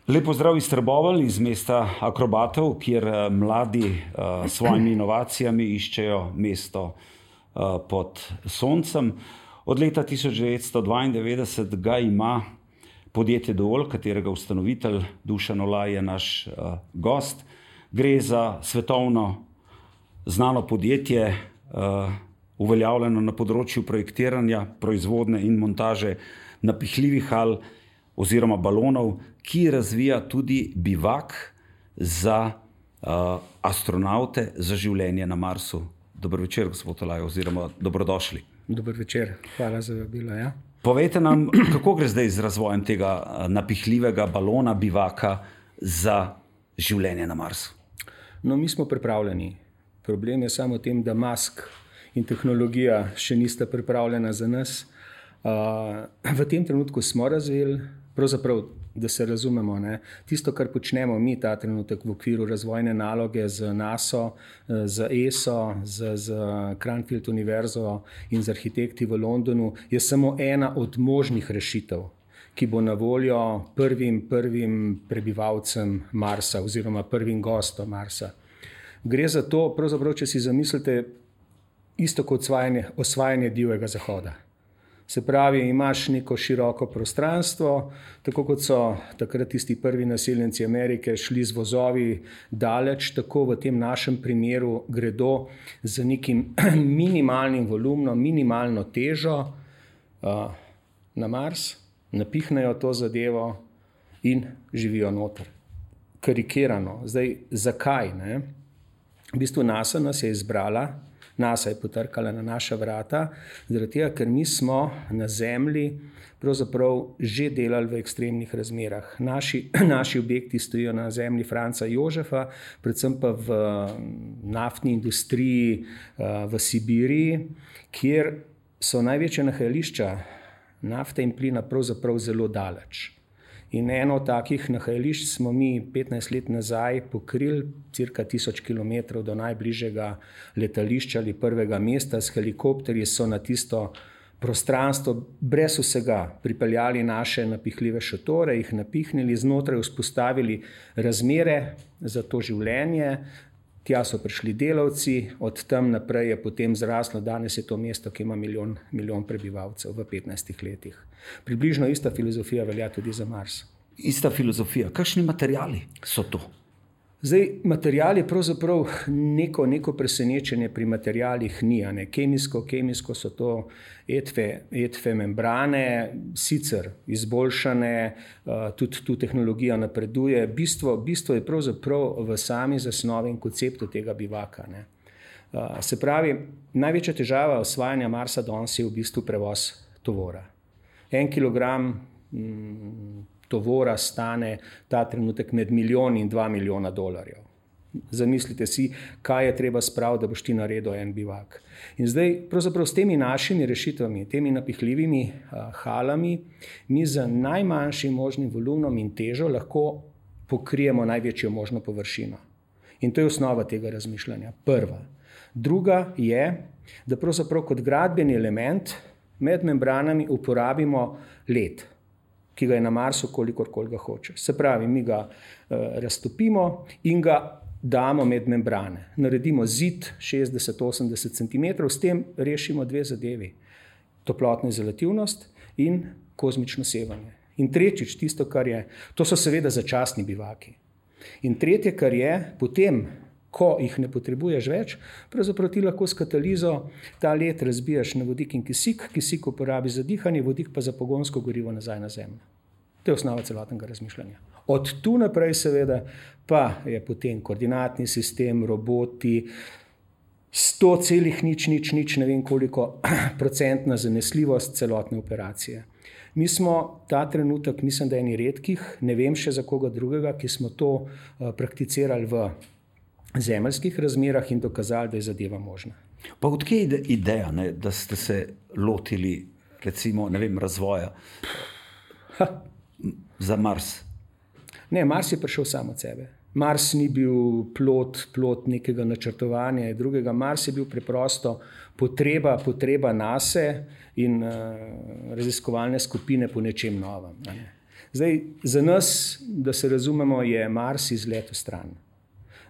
Lepo zdrav iz Trbovelj, iz mesta akrobatov, kjer mladi s svojimi inovacijami iščejo mesto pod soncem. Od leta 1992 ga ima podjetje Dovolj, katerega ustanovitelj Dušan Olaj je naš gost. Gre za svetovno znano podjetje, uveljavljeno na področju projektiranja, proizvodnje in montaže napihljivih hal oziroma balonov, ki razvija tudi bivak za astronavte za življenje na Marsu. Dober večer, gospod Olaj, oziroma dobrodošli. Dober večer, hvala za vabilo. Ja. Povejte nam, kako gre zdaj z razvojem tega napihljivega balona, bivaka za življenje na Marsu? No, mi smo pripravljeni. Problem je samo v tem, da mask in tehnologija še nista pripravljena za nas. V tem trenutku smo razvili, pravzaprav, da se razumemo, ne? Tisto, kar počnemo mi ta trenutek v okviru razvojne naloge z NASA, z ESO, z Cranfield univerzo in z arhitekti v Londonu, je samo ena od možnih rešitev, ki bo na voljo prvim prebivalcem Marsa oziroma prvim gostom Marsa. Gre za to, pravzaprav, če si zamislite, isto kot osvajanje divjega zahoda. Se pravi, imaš neko široko prostranstvo, tako kot so takrat tisti prvi naseljenci Amerike šli z vozovi daleč, tako v tem našem primeru gredo z nekim minimalnim volumnom, minimalno težo na Mars, napihnejo to zadevo in živijo noter. Karikirano. Zdaj, zakaj? Ne? V bistvu NASA nas je izbrala, NASA je potrkala na naša vrata, zaradi tega, ker mi smo na Zemlji pravzaprav že delali v ekstremnih razmerah. Naši objekti stojijo na zemlji Franca Jožefa, predvsem pa v naftni industriji v Sibiriji, kjer so največje nahajališča nafte in plina pravzaprav zelo daleč. In eno od takih nahajališč smo mi 15 let nazaj pokrili, cirka 1000 km do najbližjega letališča ali prvega mesta. S helikopterji so na tisto prostranstvo brez vsega pripeljali naše napihljive šotore, jih napihnili, znotraj vzpostavili razmere za to življenje. Tja so prišli delavci, od tam naprej je potem zraslo, danes je to mesto, ki ima milijon prebivalcev v 15 letih. Približno ista filozofija velja tudi za Mars. Ista filozofija. Kakšni materiali so to? Zdaj, material je pravzaprav neko presenečenje pri materialih ni. Kemijsko so to etve membrane, sicer izboljšane, tudi tu tehnologija napreduje. Bistvo je pravzaprav v sami zasnovi in konceptu tega bivaka. Ne. Se pravi, največja težava osvajanja Marsa danes je v bistvu prevoz tovora. 1 kilogram tovora stane ta trenutek med $1 in $2 milijona. Zamislite si, kaj je treba spraviti, da boš ti naredil en bivak. In zdaj, pravzaprav s temi našimi rešitvami, temi napihljivimi halami, mi z najmanjšim možnim volumnom in težo lahko pokrijemo največjo možno površino. In to je osnova tega razmišljanja. Prva. Druga je, da pravzaprav kot gradbeni element med membranami uporabimo led, ki ga je na Marsu, kolikor ga hoče. Se pravi, mi ga raztopimo in ga damo med membrane. Naredimo zid 60-80 cm, s tem rešimo dve zadevi. Toplotno izolativnost in kozmično sevanje. In tretjič, tisto, kar je, to so seveda začasni bivaki. In tretje, kar je, potem, ko jih ne potrebuješ več, pravzaprav ti lahko s katalizo ta led razbijaš na vodik in kisik, kisik uporabi za dihanje, vodik pa za pogonsko gorivo nazaj na Zemljo. To je osnova celotnega razmišljanja. Od tu naprej seveda pa je potem koordinatni sistem, roboti, 100,000, ne vem koliko procentna zanesljivost celotne operacije. Mi smo ta trenutek, mislim, da eni redkih, ne vem še za koga drugega, ki smo to prakticirali v zemeljskih razmerah in dokazali, da je zadeva možna. Pa odkje je ideja, ne, da ste se lotili, recimo, ne vem, razvoja za Mars? Ne, Mars je prišel sam od sebe. Mars ni bil plod nekega načrtovanja in drugega. Mars je bil preprosto potreba nase in raziskovalne skupine po nečem novem. Zdaj, za nas, da se razumemo, je Mars izlet v stran.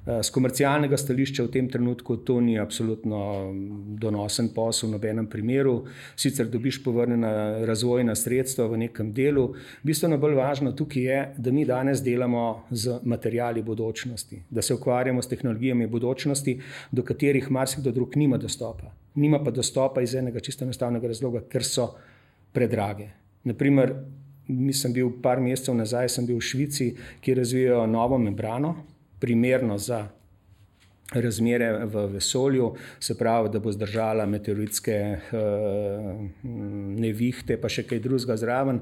Z komercialnega stališča v tem trenutku to ni absolutno donosen posel v nobenem primeru. Sicer dobiš povrnjena razvojna sredstva v nekem delu. Bistveno bolj važno tukaj je, da mi danes delamo z materiali bodočnosti, da se ukvarjamo s tehnologijami bodočnosti, do katerih marsikdo drug nima dostopa. Nima pa dostopa iz enega čisto enostavnega razloga, ker so predrage. Naprimer, sem bil par mesecev nazaj, sem bil v Švici, kjer razvijajo novo membrano, primerno za razmere v vesolju, se pravi, da bo zdržala meteoritske nevihte, pa še kaj drugega zraven.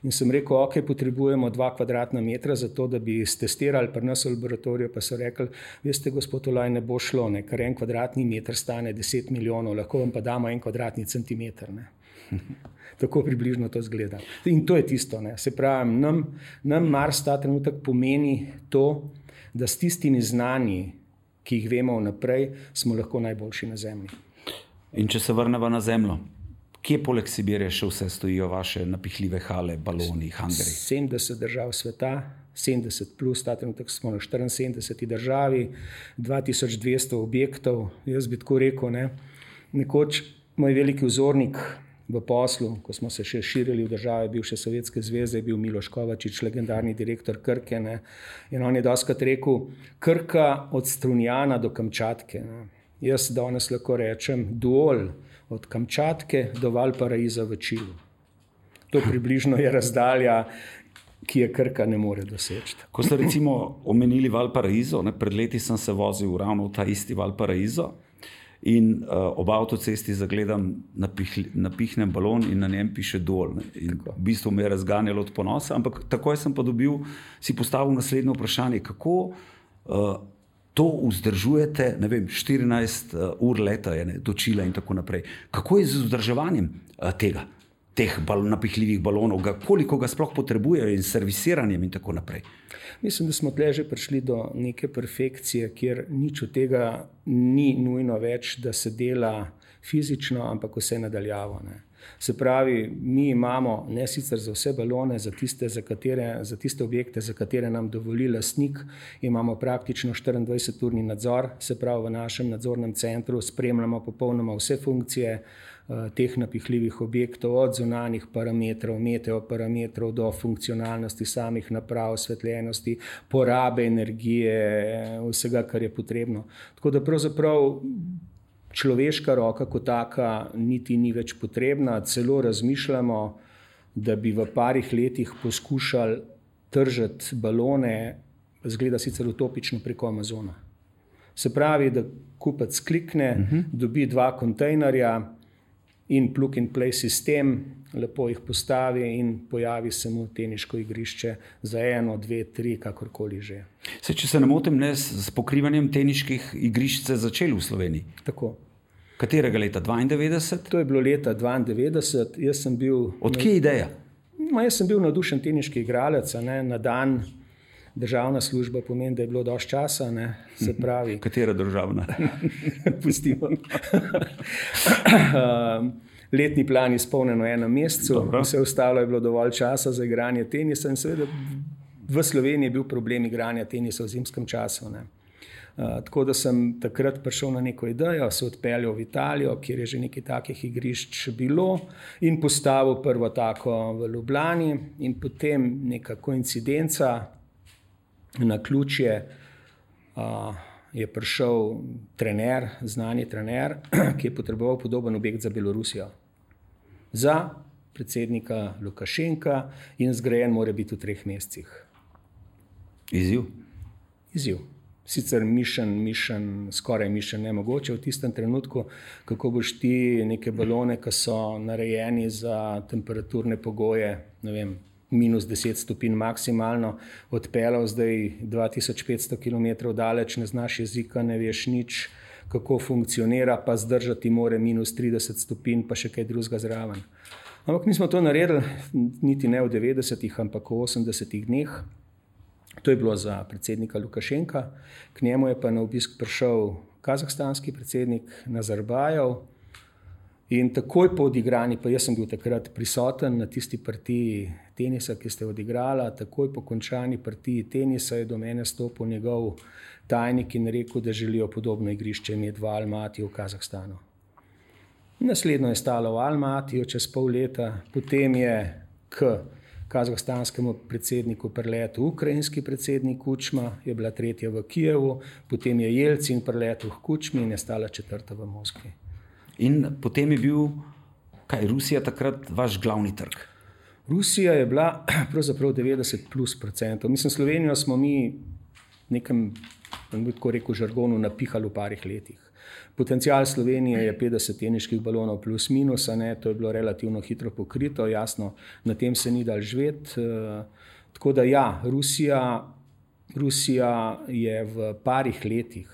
In sem rekel, ok, potrebujemo 2 kvadratna metra za to, da bi stestirali pri nas v laboratoriju, pa so rekli, veste, gospod Olaj, ne bo šlo, ne, ker 1 kvadratni meter stane 10 milijonov, lahko vam pa damo 1 kvadratni centimeter. Ne. Tako približno to zgleda. In to je tisto. Ne. Se pravi, nam Mars ta trenutek pomeni to, da s tistimi znanji, ki jih vemo vnaprej, smo lahko najboljši na Zemlji. In če se vrnemo na Zemljo, kje poleg Sibirije še vse stojijo vaše napihljive hale, baloni, hangari? 70 držav sveta, 70 plus, ta trenutek smo na 74 državi, 2200 objektov. Jaz bi tako rekel, ne. Nekoč moj veliki vzornik v poslu, ko smo se še širili v države bivše Sovjetske zveze, je bil Miloš Kovačič, legendarni direktor Krke. Ne. In on je dostikrat rekel, Krka od Strunjana do Kamčatke. Ne. Jaz danes lahko rečem duol od Kamčatke do Valparaiza v Čilu. To približno je razdalja, ki je Krka ne more doseči. Ko ste recimo omenili Valparaiso, pred leti sem se vozil ravno v ta isti Valparaiso, in ob avtocesti zagledam napihnen balon in na njem piše Duol. In v bistvu me je razganjalo od ponosa, ampak takoj sem pa si postavil naslednje vprašanje, kako to vzdržujete, ne vem, 14 ur leta je do Čila in tako naprej. Kako je z vzdrževanjem teh napihljivih balonov, koliko ga sploh potrebujejo in servisiranjem in tako naprej? Mislim, da smo tle že prišli do neke perfekcije, kjer nič od tega ni nujno več, da se dela fizično, ampak vse nadaljavo. Ne. Se pravi, mi imamo ne sicer za vse balone, za tiste objekte, za katere nam dovoli lastnik, imamo praktično 24-urni nadzor, se pravi v našem nadzornem centru spremljamo popolnoma vse funkcije teh napihljivih objektov, od zunanjih parametrov, meteoparametrov do funkcionalnosti samih naprav, osvetljenosti, porabe energije, vsega, kar je potrebno. Tako da pravzaprav človeška roka kot taka niti ni več potrebna, celo razmišljamo, da bi v parih letih poskušali tržiti balone, zgleda sicer utopično, preko Amazona. Se pravi, da kupec klikne, dobi 2 kontejnerja in plug and play sistem, lepo jih postavi in pojavi se mu teniško igrišče za 1, 2, 3, kakorkoli že. Če se ne motim, s pokrivanjem teniških igrišč ste začeli v Sloveniji? Tako. Katerega leta? 92? To je bilo leta 92. Jaz sem bil... Od kje ideja? Jaz sem bil navdušen teniški igralec, na dan. Državna služba pomeni, da je bilo dosti časa, ne, se pravi. Katera državna? Pustimo. Letni plan izpolnjen v 1 mesecu, vse ostalo je bilo dovolj časa za igranje tenisa in seveda v Sloveniji je bil problem igranja tenisa v zimskem času. Ne. Tako da sem takrat prišel na neko idejo, se odpeljal v Italijo, kjer je že nekaj takih igrišč bilo in postavil prvo tako v Ljubljani in potem neka koincidenca, na ključje je prišel trener, znani trener, ki je potreboval podoben objekt za Belorusijo. Za predsednika Lukašenka in zgrajen mora biti v 3 mesecih. Izziv? Izziv. Sicer skoraj mišljen nemogoče v tistem trenutku, kako boš ti neke balone, ki so narejeni za temperaturne pogoje, ne vem, -10 stopinj maksimalno, odpeljal zdaj 2500 km daleč, ne znaš jezika, ne veš nič, kako funkcionira, pa zdržati more -30 stopinj, pa še kaj drugega zraven. Ampak nismo to naredili, niti ne v 90-ih, ampak v 80-ih dneh. To je bilo za predsednika Lukašenka. K njemu je pa na obisk prišel kazahstanski predsednik Nazarbajev In takoj po odigrani, pa jaz sem bil takrat prisoten na tisti partiji tenisa, ki ste odigrala, takoj po končani partiji tenisa je do mene stopil njegov tajnik in rekel, da želijo podobno igrišče imeti v Almatiju v Kazahstanu. Naslednjo je stalo v Almatiju čez pol leta, potem je k kazahstanskemu predsedniku priletel ukrajinski predsednik Kučma, je bila tretja v Kijevu, potem je Jelcin priletel v Kučmi in je stala četrta v Moskvi. In potem je bil, Rusija takrat vaš glavni trg? Rusija je bila pravzaprav 90+%. Mislim, Slovenijo smo mi nekem, tako rekel, žargonu napihali v parih letih. Potencial Slovenije je 50 teniških balonov plus minus, to je bilo relativno hitro pokrito, jasno, na tem se ni dal živeti. Tako da ja, Rusija je v parih letih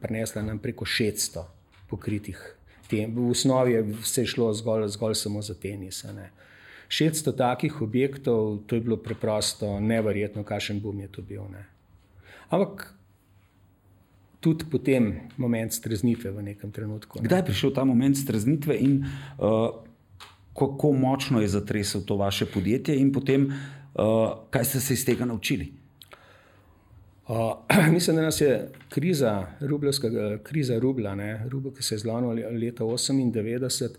prinesla nam preko 600 pokritih. V osnovi je vse šlo zgolj samo za tenis. 600 takih objektov, to je bilo preprosto neverjetno, kakšen boom je to bil. Ampak tudi potem moment streznitve v nekem trenutku. Kdaj je prišel ta moment streznitve in kako močno je zatresel to vaše podjetje in potem kaj ste se iz tega naučili? Mislim, da nas je kriza rubla, rubel, ki se je zlomil leta 1998,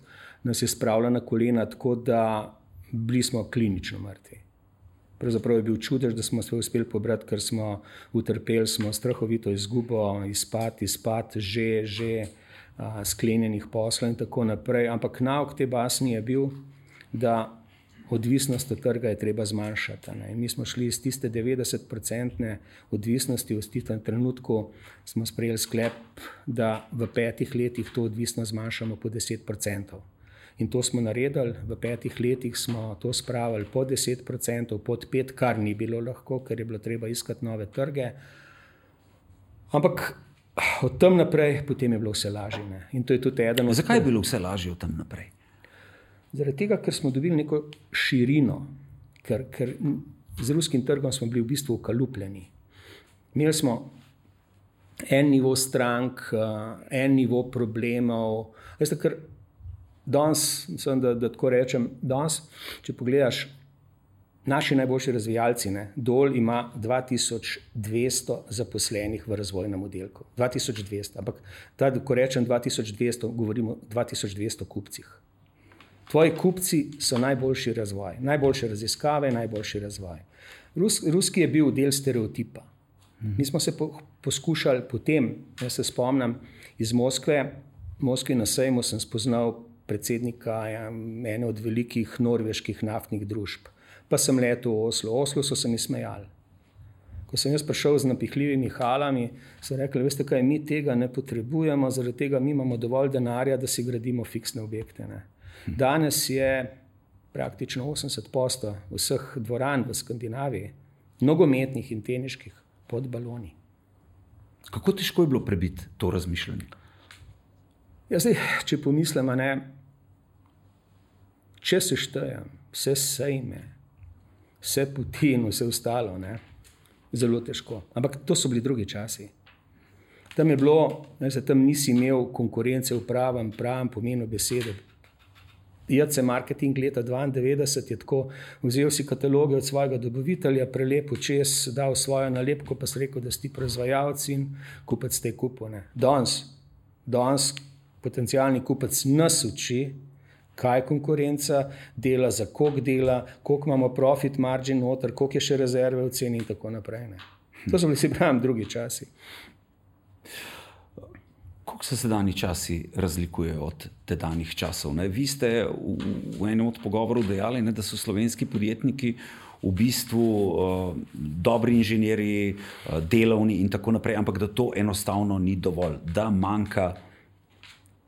nas je spravila na kolena tako, da bili smo klinično mrtvi. Pravzaprav je bil čudež, da smo se uspeli pobrati, ker smo utrpeli strahovito izgubo, izpad že sklenjenih poslov in tako naprej. Ampak nauk te basni je bil, da odvisnost od trga je treba zmanjšati. In mi smo šli iz tiste 90% odvisnosti, v tistem trenutku smo sprejeli sklep, da v 5 letih to odvisnost zmanjšamo po 10%. In to smo naredili, v 5 letih smo to spravili pod 10%, pod 5%, kar ni bilo lahko, ker je bilo treba iskati nove trge. Ampak od tam naprej potem je bilo vse lažje. In to je tudi eden od... Zakaj je bilo vse lažje od tam naprej? Zaradi tega, ker smo dobili neko širino, ker z ruskim trgom smo bili v bistvu ukalupljeni. Imeli smo en nivo strank, en nivo problemov. Veste, ker danes, mislim, da tako rečem, danes, če pogledaš, naši najboljši razvijalci, Dol ima 2200 zaposlenih v razvojnem oddelku. 2200, ampak ko rečem 2200, govorimo 2200 kupcih. Tvoji kupci so najboljši razvoj, najboljše raziskave, najboljši razvoj. Ruski je bil del stereotipa. Mi smo se poskušali potem, jaz se spomnim, iz Moskve na sejmu sem spoznal predsednika ene od velikih norveških naftnih družb. Pa sem letel v Oslo. V Oslo so se mi smejali. Ko sem jaz prišel z napihljivimi halami, so rekli, veste kaj, mi tega ne potrebujemo, zaradi tega mi imamo dovolj denarja, da si gradimo fiksne objekte. Danes je praktično 80% vseh dvoran v Skandinaviji, nogometnih in teniških, pod baloni. Kako težko je bilo prebiti to razmišljanje? Ja, zdaj, če pomislim, če se štejem, vse sejme, vse poti in vse ostalo, zelo težko. Ampak to so bili drugi časi. Tam je bilo, tam nisi imel konkurence v pravem pomenu besede. JC Marketing leta 1992 je tako, vzel si kataloge od svojega dobavitelja, prelepil čez, dal svojo nalepko, pa si rekel, da si ti proizvajalec in kupec te kupil. Danes potencialni kupec nas uči, kaj konkurenca dela, za koliko dela, koliko imamo profit margin noter, koliko je še rezerve v ceni in tako naprej. To so bili, si pravim, drugi časi. Kako se sedanji časi razlikujejo od tedanjih časov? Vi ste v enem od pogovorov dejali, da so slovenski podjetniki v bistvu dobri inženirji, delovni in tako naprej, ampak da to enostavno ni dovolj, da manjka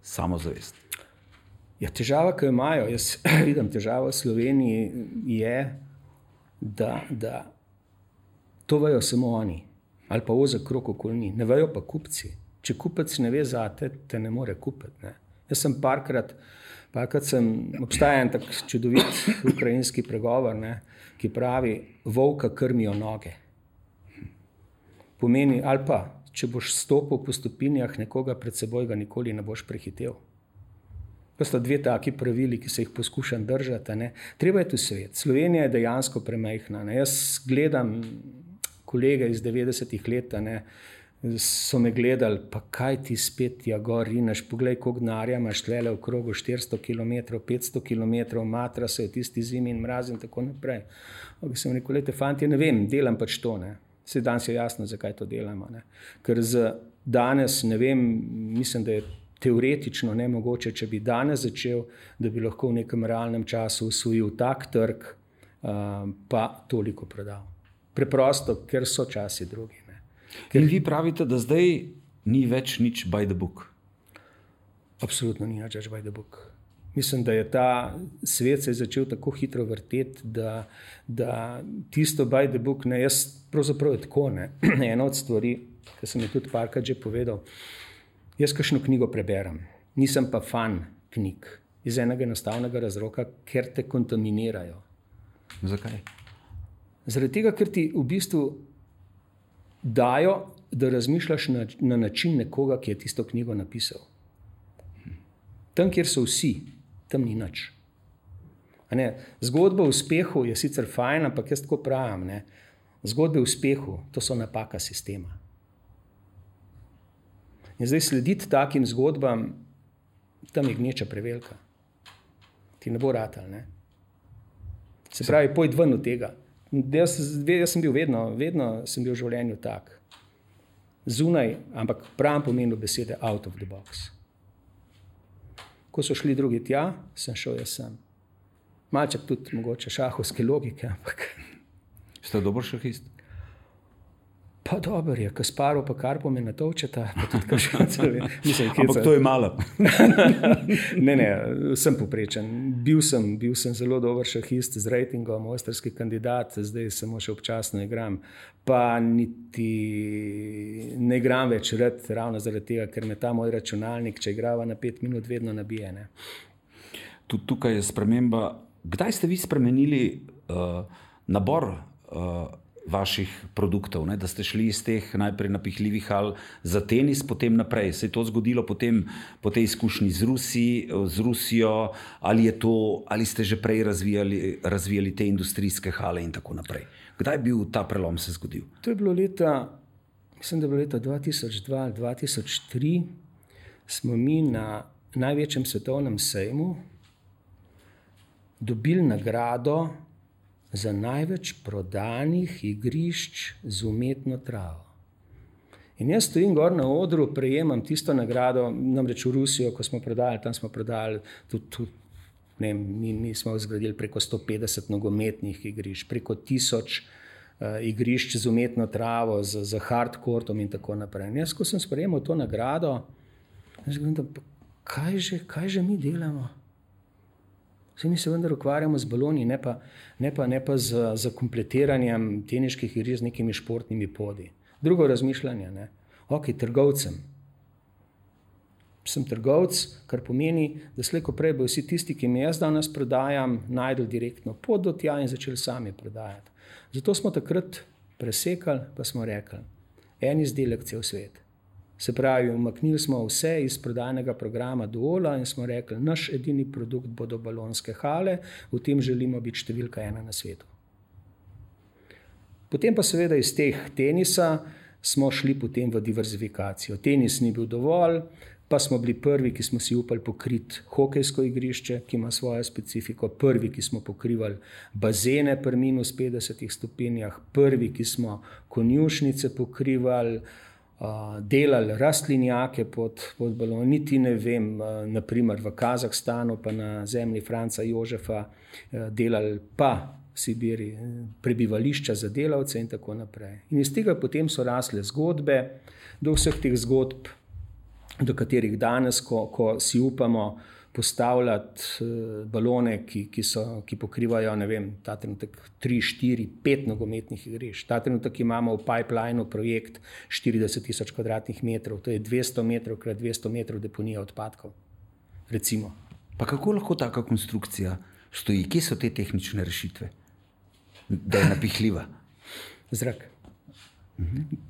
samozavest. Ja, težava, ki jo imajo, jaz vidim težavo v Sloveniji, je, da to vejo samo oni, ali pa ozek krog okoli njih, ne vejo pa kupci. Če kupec ne ve zate, te ne more kupiti. Jaz sem parkrat obstaja en tak čudovit ukrajinski pregovor, ki pravi, volka krmijo noge. Pomeni, ali pa, če boš stopil po stopinjah nekoga pred seboj, ga nikoli ne boš prehitev. To sta dve taki pravili, ki se jih poskušam držati. Ne. Treba je tu svet. Slovenija je dejansko premajhna. Ne. Jaz gledam kolege iz 90-ih let, ne, so me gledali, pa kaj ti spet gor rineš, poglej, koliko denarja imaš tlele v krogu, 400 km, 500 km, matra se v tisti zimi in mraz in tako naprej. Sem rekel, lejte, fanti, ne vem, delam pač to. Ne. Se danes je jasno, zakaj to delamo. Ne. Ker danes, ne vem, mislim, da je teoretično nemogoče, če bi danes začel, da bi lahko v nekem realnem času usvojil tak trg, pa toliko prodal. Preprosto, ker so časi drugi. Ne. In vi pravite, da zdaj ni več nič by the book? Absolutno ni nič by the book. Mislim, da je ta svet se je začel tako hitro vrteti, da tisto by the book, ne, jaz pravzaprav je tako, ne. Ena od stvari, ki sem je tudi parkrat že povedal, jaz kakšno knjigo preberem, nisem pa fan knjig, iz enega enostavnega razloga, ker te kontaminirajo. Zakaj? Zaradi tega, ker ti v bistvu dajo, da razmišljaš na način nekoga, ki je tisto knjigo napisal. Tam, kjer so vsi, tam ni nič. Zgodba o uspehu je sicer fajn, ampak jaz tako pravim, ne? Zgodbe o uspehu, to so napaka sistema. In zdaj slediti takim zgodbam, tam je gneča prevelika. Ti ne bo ratal, ne? Se pravi, pojdi ven od tega. Jaz sem bil vedno sem bil v življenju tak. Zunaj, ampak pravim pomenu besede out of the box. Ko so šli drugi tja, sem šel jaz sem. Malček tudi mogoče šahovske logike, ampak... Ste dober šahist? Pa dober je, Kasparov pa Karpov me natovčeta, pa tudi Kaškancev. Ampak to je malo. Ne, sem poprečen. Bil sem zelo dober šahist z ratingom, mojstrski kandidat, zdaj samo še občasno igram. Pa niti ne igram več rad, ravno zaradi tega, ker me ta moj računalnik, če igrava na 5 minut, vedno nabije. Ne. Tudi tukaj je sprememba. Kdaj ste vi spremenili nabor vaših produktov, ne? Da ste šli iz teh najprej napihljivih hal za tenis, potem naprej. Se je to zgodilo potem po tej izkušnji z Rusijo, ali ste že prej razvijali te industrijske hale in tako naprej? Kdaj je bil ta prelom se zgodil? To je bilo leta 2002, 2003, smo mi na največjem svetovnem sejmu dobili nagrado za največ prodanih igrišč z umetno travo. In jaz stojim gor na odru, prejemam tisto nagrado, namreč v Rusijo, ko smo prodali, tam smo prodali tudi mi smo zgradili preko 150 nogometnih igrišč, preko 1000 igrišč z umetno travo, z hardcourtom in tako naprej. In jaz, ko sem sprejemal to nagrado, kaj že mi delamo? Mi se vendar ukvarjamo z baloni, ne pa z kompletiranjem teniških igrišč z nekimi športnimi podi. Drugo razmišljanje, ne. Ok, trgovcem. Sem trgovec, kar pomeni, da slej ko prej bo vsi tisti, ki mi jaz danes prodajam, najdel direktno pot do tja in začeli sami prodajati. Zato smo takrat presekali, pa smo rekli, en izdelek cel svet. Se pravi, umaknili smo vse iz prodajnega programa Duola in smo rekli, naš edini produkt bodo balonske hale, v tem želimo biti številka 1 na svetu. Potem pa seveda iz teh tenisa smo šli potem v diverzifikacijo. Tenis ni bil dovolj, pa smo bili prvi, ki smo si upali pokriti hokejsko igrišče, ki ima svojo specifiko, prvi, ki smo pokrivali bazene pri minus 50 stopinjah, prvi, ki smo konjušnice pokrivali, delali rastlinjake pod balon, niti ne vem, naprimer v Kazahstanu pa na zemlji Franca Jožefa delali pa v Sibiri prebivališča za delavce in tako naprej. In iz tega potem so rasle zgodbe, do vseh teh zgodb, do katerih danes, ko si upamo postavljati balone, ki pokrivajo, ne vem, ta trenutek 3, 4, 5 nogometnih igrišč. Ta trenutek imamo v pipelineu projekt 40 000 kvadratnih metrov, to je 200 metrov krat 200 metrov deponija odpadkov, recimo. Pa kako lahko taka konstrukcija stoji? Kje so te tehnične rešitve, da je napihljiva? Zrak.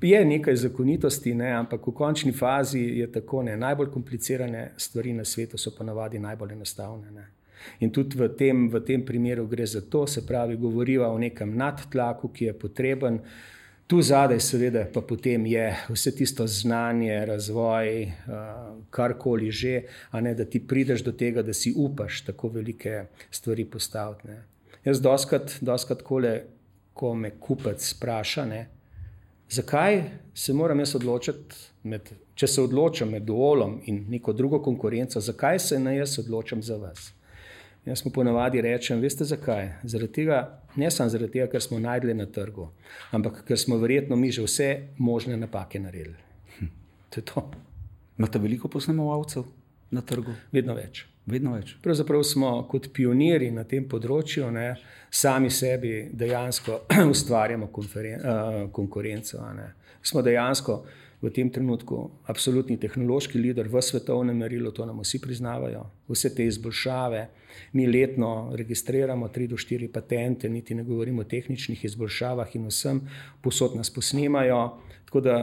Je nekaj zakonitosti, ne, ampak v končni fazi je tako, ne, najbolj komplicirane stvari na svetu so ponavadi najbolj enostavne. Ne. In tudi v tem primeru gre za to, se pravi, govoriva o nekem nadtlaku, ki je potreben. Tu zadaj seveda pa potem je vse tisto znanje, razvoj, karkoli že, a ne, da ti prideš do tega, da si upaš tako velike stvari postaviti. Ne. Jaz doskrat ko me kupec spraša, ne, zakaj se moram jaz odločiti, če se odločam med Duolom in neko drugo konkurenco, zakaj se ne jaz odločam za vas? Jaz mu ponavadi rečem, veste zakaj? Ne samo zaradi tega, ker smo najdli na trgu, ampak ker smo verjetno mi že vse možne napake naredili. To je to. Imate veliko posnemovalcev na trgu? Vedno več. Pravzaprav smo kot pionirji na tem področju, ne, sami sebi dejansko ustvarjamo konkurenco. Ne. Smo dejansko v tem trenutku absolutni tehnološki lider v svetovnem merilu, to nam vsi priznavajo. Vse te izboljšave, mi letno registriramo 3 do 4 patente, niti ne govorimo o tehničnih izboljšavah in vsem, povsod nas posnemajo. Tako da,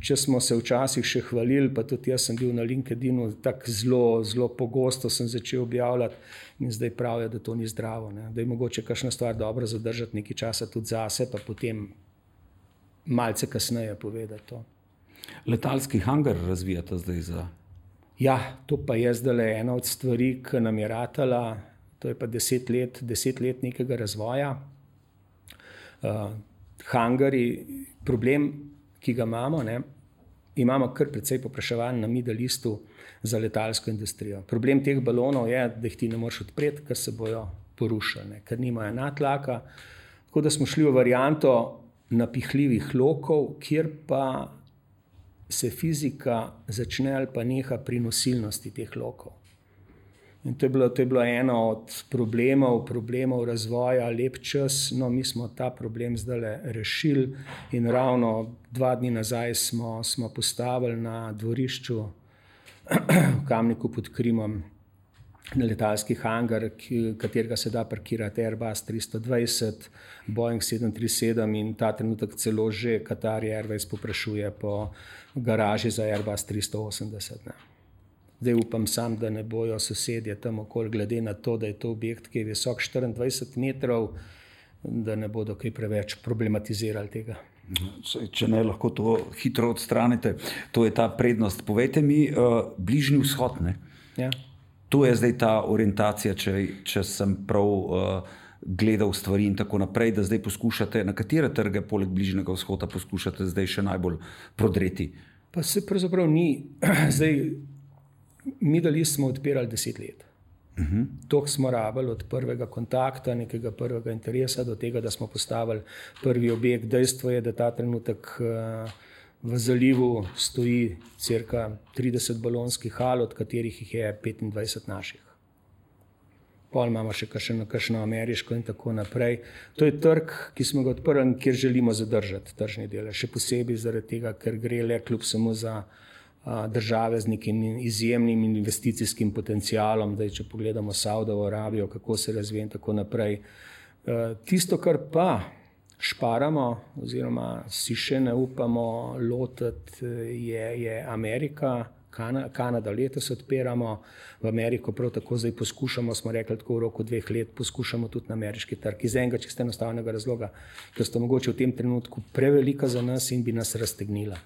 če smo se včasih še hvalili, pa tudi jaz sem bil na LinkedInu, tako zelo pogosto sem začel objavljati in zdaj pravijo, da to ni zdravo. Ne? Da je mogoče kakšna stvar dobro zadržati nekaj časa tudi zase, pa potem malce kasneje povedati to. Letalski hangar razvijate zdaj za? Ja, to pa je zdaj ena od stvari, ki nam je ratala, to je pa 10 let nekega razvoja. Hangari, problem, ki ga imamo, ne, imamo kar precej povpraševanj na Middle Eastu za letalsko industrijo. Problem teh balonov je, da jih ti ne moreš odpreti, ker se bojo porušili, ker nimajo nadtlaka. Tako da smo šli v varianto napihljivih lokov, kjer pa se fizika začne ali pa neha pri nosilnosti teh lokov. In to je bilo eno od problemov razvoja lep čas. No, mi smo ta problem zdaj rešili in ravno 2 dni nazaj smo postavili na dvorišču v Kamniku pod Krimom na letalski hangar, katerega se da parkirati Airbus 320, Boeing 737 in ta trenutek celo že Qatar Airways poprašuje po garaži za Airbus 380. Ne. Zdaj upam sam, da ne bojo sosedje tam okoli, glede na to, da je to objekt, ki je visok 24 metrov, da ne bodo kaj preveč problematizirali tega. Če ne, lahko to hitro odstranite. To je ta prednost. Povejte mi, Bližnji vzhod, ne? Ja. To je zdaj ta orientacija, če sem prav gledal stvari in tako naprej, da zdaj poskušate, na katere trge poleg Bližnjega vzhoda poskušate zdaj še najbolj prodreti? Pa se pravzaprav ni. Zdaj, Middle East smo odpirali 10 let. Toliko smo rabili od prvega kontakta, nekega prvega interesa do tega, da smo postavili prvi objekt. Dejstvo je, da ta trenutek v zalivu stoji cirka 30 balonskih hal, od katerih jih je 25 naših. Pol imamo še kakšno ameriško in tako naprej. To je trg, ki smo ga odprli, kjer želimo zadržati tržni delež. Še posebej zaradi tega, ker gre le kljub samo za države z nekim izjemnim investicijskim potencialom. Zdaj, če pogledamo Saudovo Arabijo, kako se razvija in tako naprej. Tisto, kar pa šparamo oziroma si še ne upamo lotiti, je Amerika, Kanada letos odpiramo, v Ameriko prav tako zdaj poskušamo, smo rekli tako v roku 2 let, poskušamo tudi na ameriški trg. Iz enega čisto enostavnega razloga, ker sta mogoče v tem trenutku prevelika za nas in bi nas raztegnila.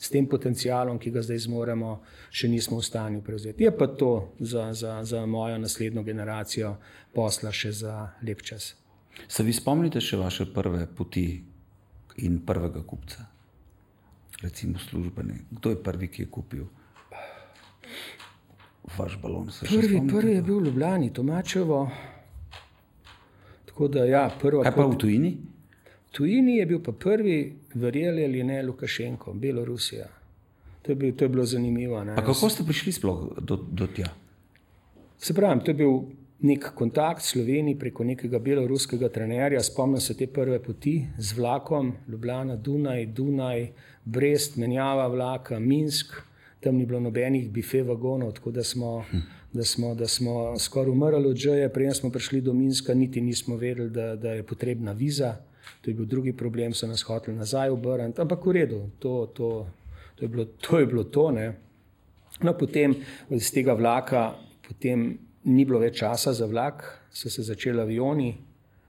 S tem potencialom, ki ga zdaj zmoremo, še nismo v stanju prevzeti. Je pa to za mojo naslednjo generacijo posla še za lep čas. Se vi spomnite še vaše prve poti in prvega kupca? Recimo službene. Kdo je prvi, ki je kupil vaš balon? Prvi je bil v Ljubljani, Tomačevo. Tako da ja, prva. Kaj pa v tujini? V tujini je bil pa prvi, verjeli ali ne, Lukašenko, Belorusija. To je bilo zanimivo. Ne? A kako ste prišli sploh do tja? Se pravim, to je bil nek kontakt v Sloveniji preko nekega beloruskega trenerja. Spomnim se te prve poti z vlakom, Ljubljana, Dunaj, Brest, menjava vlaka, Minsk. Tam ni bilo nobenih bife vagonov, tako da smo skoraj umrli od žeje. Preden smo prišli do Minska, niti nismo vedeli, da je potrebna viza. To je bil drugi problem, so nas hoteli nazaj obrniti, ampak v redu, to je bilo to, ne. No, potem iz tega vlaka, potem ni bilo več časa za vlak, so se začeli avioni.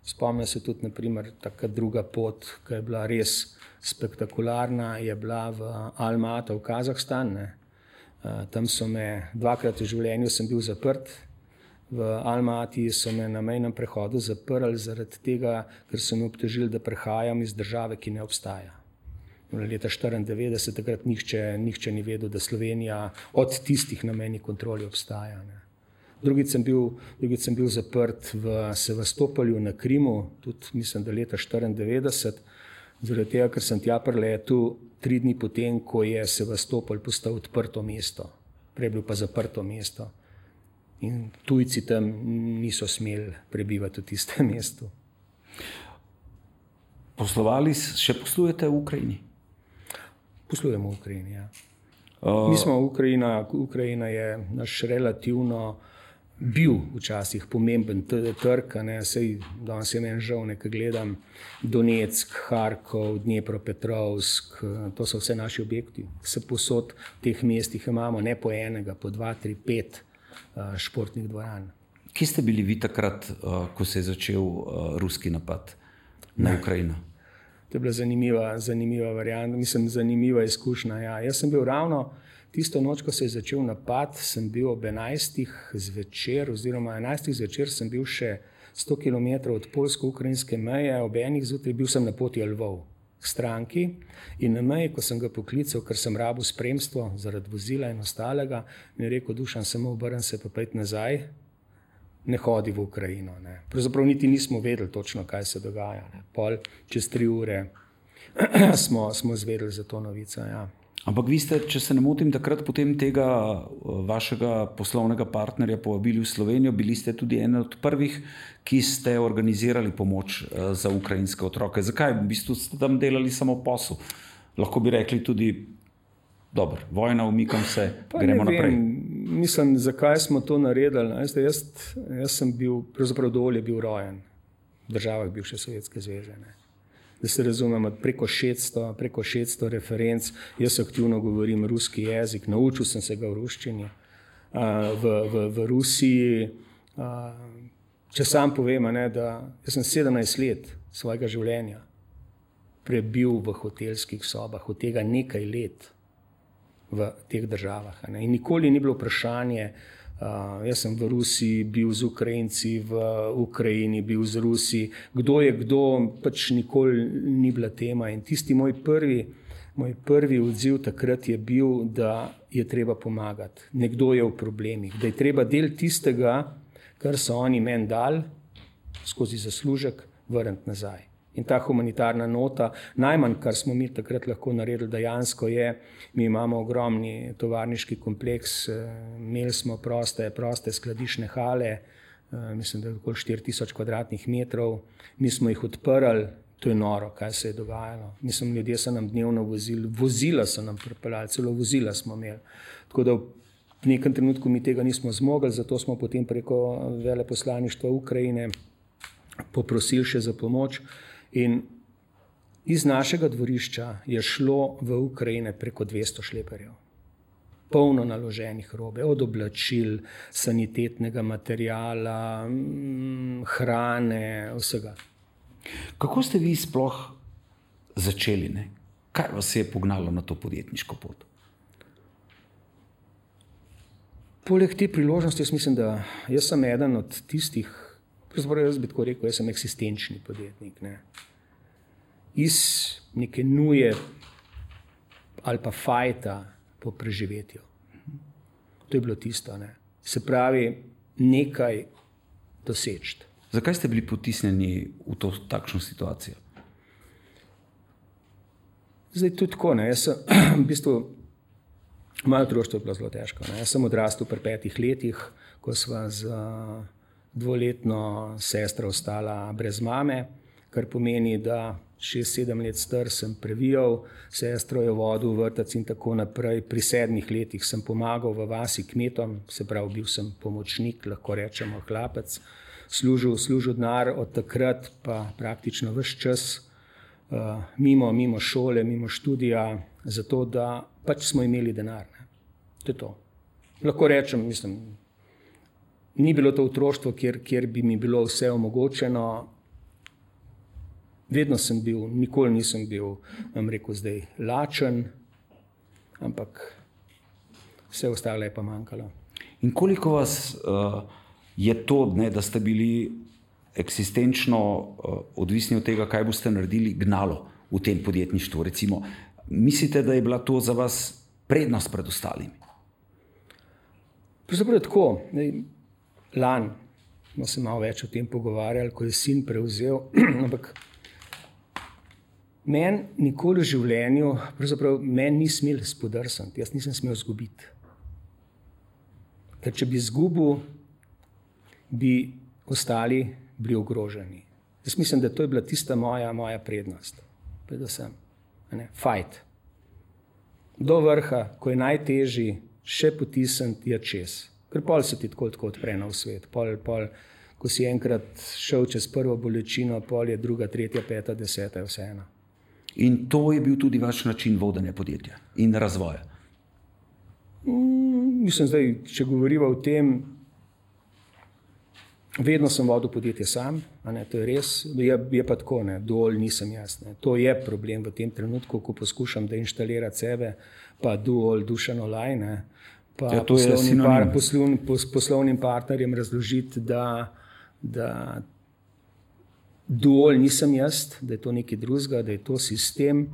Spomnim se tudi, naprimer, taka druga pot, ki je bila res spektakularna, je bila v Alma-Ata v Kazahstan, ne. Tam so me, dvakrat v življenju sem bil zaprt. V Alma-Ati so me na mejnem prehodu zaprli zaradi tega, ker so me obtožili, da prehajam iz države, ki ne obstaja. Leta 1994, takrat nihče ni vedel, da Slovenija od tistih na mejni kontroli obstaja, ne. Drugič sem bil zaprt v Sevastopolju na Krimu, tudi mislim, da leta 1994, zaradi tega, ker sem tja priletel 3 dni potem, ko je Sevastopol postal odprto mesto. Prej je bil pa zaprto mesto. In tujci tam niso smeli prebivati v tistem mestu. Še poslujete v Ukrajini? Poslujemo v Ukrajini, ja. Mi smo Ukrajina je naš relativno bil včasih pomemben trg, sej danes je meni žal, ko gledam Donetsk, Harkov, Dnepropetrovsk, to so vse naši objekti. Se posod v teh mestih imamo ne po enega, po 2, 3, 5 športnih dvoran. Kje ste bili vi takrat, ko se je začel ruski napad na Ukrajino? To je bila zanimiva varianta, mislim, zanimiva izkušnja. Ja. Jaz sem bil ravno tisto noč, ko se je začel napad, sem bil ob 11. zvečer, oziroma 11. zvečer sem bil še 100 km od poljsko-ukrajinske meje, ob 1. zjutraj bil sem na poti Lvov k stranki in na meji, ko sem ga poklical, ker sem rabil spremstvo zaradi vozila in ostalega, mi je rekel: Dušan, samo obrni se pa pojdi nazaj, ne hodi v Ukrajino. Ne. Pravzaprav niti nismo vedeli točno, kaj se dogaja. Ne. Pol čez 3 ure smo izvedeli za to novico. Ja. Ampak vi ste, če se ne motim, takrat potem tega vašega poslovnega partnerja povabili v Slovenijo, bili ste tudi eden od prvih, ki ste organizirali pomoč za ukrajinske otroke. Zakaj? V bistvu ste tam delali samo posel. Lahko bi rekli tudi: dobro, vojna, umikam se, gremo naprej. Mislim, zakaj smo to naredili. Jaz sem bil, pravzaprav dovolj je bil rojen v državah bivše Sovjetske zveze. Ne. Da se razumemo, preko 600 referenc, jaz aktivno govorim ruski jezik, naučil sem se ga v ruščini. V Rusiji, če sam povem, da jaz sem 17 let svojega življenja prebil v hotelskih sobah, od tega nekaj let v teh državah. Ne. In nikoli ni bilo vprašanje, jaz sem v Rusiji bil z Ukrajinci, v Ukrajini bil z Rusi, kdo je kdo, pač nikoli ni bila tema. In tisti moj prvi odziv takrat je bil, da je treba pomagati. Nekdo je v problemih, da je treba del tistega, kar so oni meni dali, skozi zaslužek, vrniti nazaj. In ta humanitarna nota, najmanj, kar smo mi takrat lahko naredili dejansko je, mi imamo ogromni tovarniški kompleks, imeli smo proste skladišne hale, mislim, da je okoli 4000 kvadratnih metrov, mi smo jih odprli, to je noro, kaj se je dogajalo. Mislim, ljudje so nam dnevno vozila so nam pripeljali, celo vozila smo imeli. Tako da v nekem trenutku mi tega nismo zmogli, zato smo potem preko veleposlaništva Ukrajine poprosili še za pomoč. In iz našega dvorišča je šlo v Ukrajine preko 200 šleperjev. Polno naloženih robe, od oblačil, sanitetnega materiala, hrane, vsega. Kako ste vi sploh začeli? Ne? Kaj vas je pognalo na to podjetniško pot? Poleg te priložnosti, jaz mislim, da jaz sem eden od tistih, jaz bi tako rekel, jaz sem eksistenčni podjetnik. Ne. Iz neke nuje ali pa fajta po preživetju. To je bilo tisto. Ne. Se pravi, nekaj doseči. Zakaj ste bili potisnjeni v takšno situacijo? Zdaj tudi tako. Ne. Jaz sem v bistvu, moje otroštvo je bilo zelo težko. Ne. Jaz sem odrastel pri 5 letih, ko sva z 2-letno sestra ostala brez mame, kar pomeni, da 6-7 let star sem previjal, sestro je vodil v vrtec in tako naprej. Pri 7 letih sem pomagal v vasi kmetom, se pravi, bil sem pomočnik, lahko rečemo hlapec. služil denar, od takrat pa praktično ves čas mimo šole, mimo študija, zato da pač smo imeli denar. Ne. To je to. Lahko rečem, mislim, ni bilo to otroštvo, kjer bi mi bilo vse omogočeno. Vedno sem bil, nikoli nisem bil, vam rekel zdaj, lačen, ampak vse ostalo je pa manjkalo. In koliko vas je to, ne, da ste bili eksistenčno odvisni od tega, kaj boste naredili, gnalo v tem podjetništvu? Recimo, mislite, da je bila to za vas prednost pred ostalimi? Pravzaprav tako. Lani smo se malo več o tem pogovarjali, ko je sin prevzel, ampak meni nikoli v življenju, pravzaprav meni ni smel spodrsniti, jaz nisem smel izgubiti. Ker če bi izgubil, bi ostali bili ogroženi. Jaz mislim, da to je bila tista moja prednost. Predvsem, fight. Do vrha, ko je najtežji, še potisniti je čez. Ker pol se ti tako odpre na svet. Pol, ko si enkrat šel čez prvo bolečino, pol je druga, tretja, peta, deseta, je vseeno. In to je bil tudi vaš način vodenja podjetja in razvoja? Mislim, zdaj, če govorimo o tem, vedno sem vodil podjetje sam, to je res, je pa tako, dol nisem jaz. To je problem v tem trenutku, ko poskušam deinštalirati sebe, pa dual Dušan Olaj, pa ja, poslovnim partnerjem razložiti, da dual nisem jaz, da je to nekaj drugega, da je to sistem.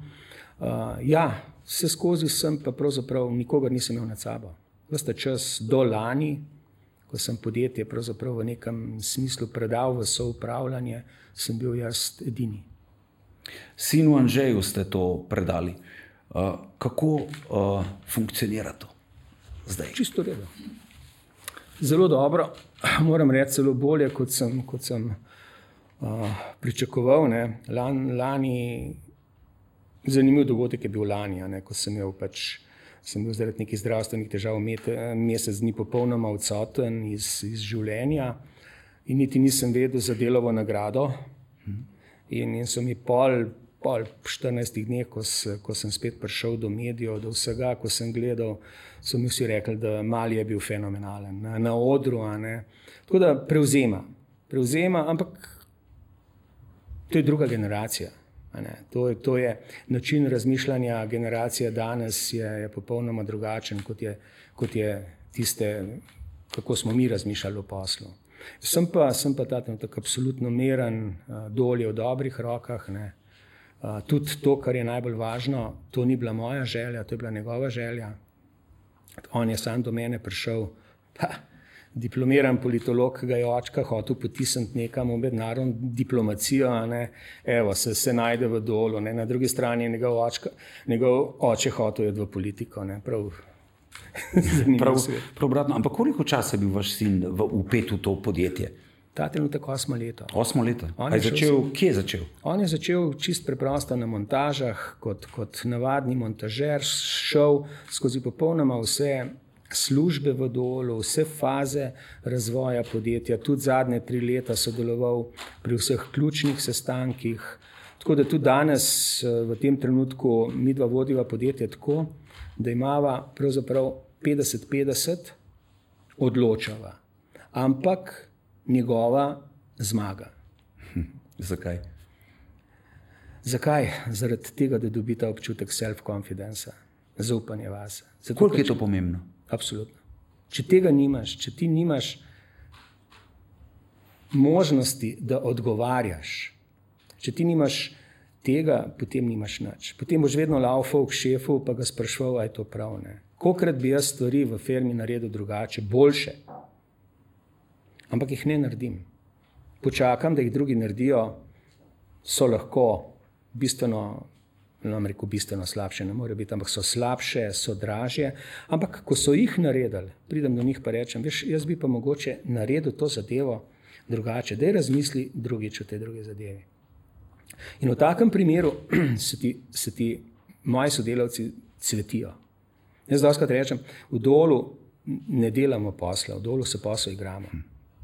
Vse skozi sem pa pravzaprav nikogar nisem imel nad sabo. Vsta čas do lani, ko sem podjetje pravzaprav v nekem smislu predal v soupravljanje, sem bil jaz edini. Sinu Anžeju ste to predali. Kako funkcionira to zdaj? Čisto redo. Zelo dobro, moram reči celo bolje, kot sem pričakoval. Lani, zanimiv dogodek je bil lani, ko sem bil zaradi nekih zdravstvenih težav mesec dni popolnoma odsoten iz življenja in niti nisem vedel za Delovo nagrado. In so mi pol 14 dneh, ko sem spet prišel do medijev, do vsega, ko sem gledal, so mi vsi rekli, da Mali je bil fenomenalen na odru. Tako da prevzema, ampak to je druga generacija. To je način razmišljanja generacije danes je popolnoma drugačen, kot je tiste, kako smo mi razmišljali o poslu. Sem pa ta trenutek absolutno miren, dol je v dobrih rokah. Tudi to, kar je najbolj važno, to ni bila moja želja, to je bila njegova želja. On je sam do mene prišel, diplomiran politolog, ga je očka hotel potisniti nekam v mednarodno diplomacijo, evo, se najde v Dolu, na drugi strani je njegov oče hotel je v politiko, prav obratno. Ampak koliko časa je bil vaš sin vpet v to podjetje? Ta trenutek 8 leto. 8 leto? Kje je začel? On je začel čist preprosto na montažah, kot navadni montažer, šel skozi popolnoma vse službe v Dolu, vse faze razvoja podjetja, tudi zadnje 3 leta sodeloval pri vseh ključnih sestankih. Tako da tudi danes v tem trenutku midva vodiva podjetje tako, da imava pravzaprav 50-50 odločava, ampak njegova zmaga. Zakaj? Zakaj? Zaradi tega, da dobita občutek self-confidence, zaupanje vase. Koliko je to pomembno? Absolutno. Če tega nimaš, če ti nimaš možnosti, da odgovarjaš, če ti nimaš tega, potem nimaš nič. Potem boš vedno laufal k šefu, pa ga sprašval, a je to prav. Kolikrat bi jaz stvari v firmi naredil drugače, boljše, ampak jih ne naredim. Počakam, da jih drugi naredijo, so lahko bistveno slabše, ne more biti, ampak so slabše, so dražje, ampak ko so jih naredili, pridem do njih pa rečem, veš, jaz bi pa mogoče naredil to zadevo drugače, daj razmisli drugič o tej drugi zadevi. In v takem primeru se ti moji sodelavci cvetijo. Jaz dostikrat rečem, v Dolu ne delamo posla, v Dolu se posel igramo.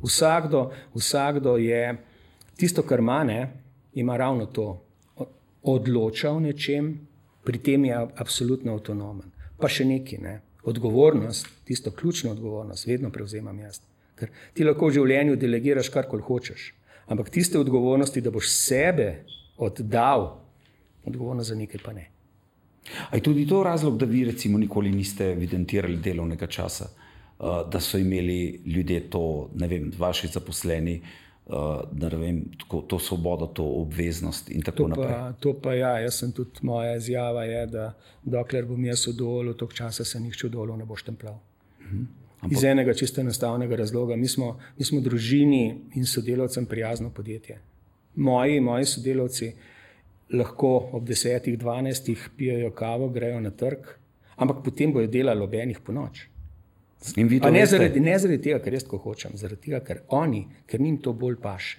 Vsakdo je tisto, kar ima, ima ravno to. Odloča o nečem, pri tem je absolutno avtonomen. Pa še nekaj, odgovornost, tisto ključno odgovornost, vedno prevzemam jaz. Ker ti lahko v življenju delegiraš karkoli hočeš, ampak tiste odgovornosti, da boš sebe oddal, odgovornost za nekaj pa ne. A je tudi to razlog, da vi recimo nikoli niste evidentirali delovnega časa, da so imeli ljudje to, ne vem, vaši zaposleni, da ne vem, to svobodo, to obveznost in tako naprej? To pa ja, jaz sem tudi, moja izjava je, da dokler bom jaz v dolu, toliko časa se nihče v dolu ne bo štempljal. Iz enega čisto enostavnega razloga. Mi smo družini in sodelavcem prijazno podjetje. Moji sodelavci lahko ob 10-12 pijejo kavo, grejo na trg, ampak potem bojo delali ob enih po noč. Ne zaradi tega, ker jaz tako hočem, zaradi tega, ker njim to bolj paše.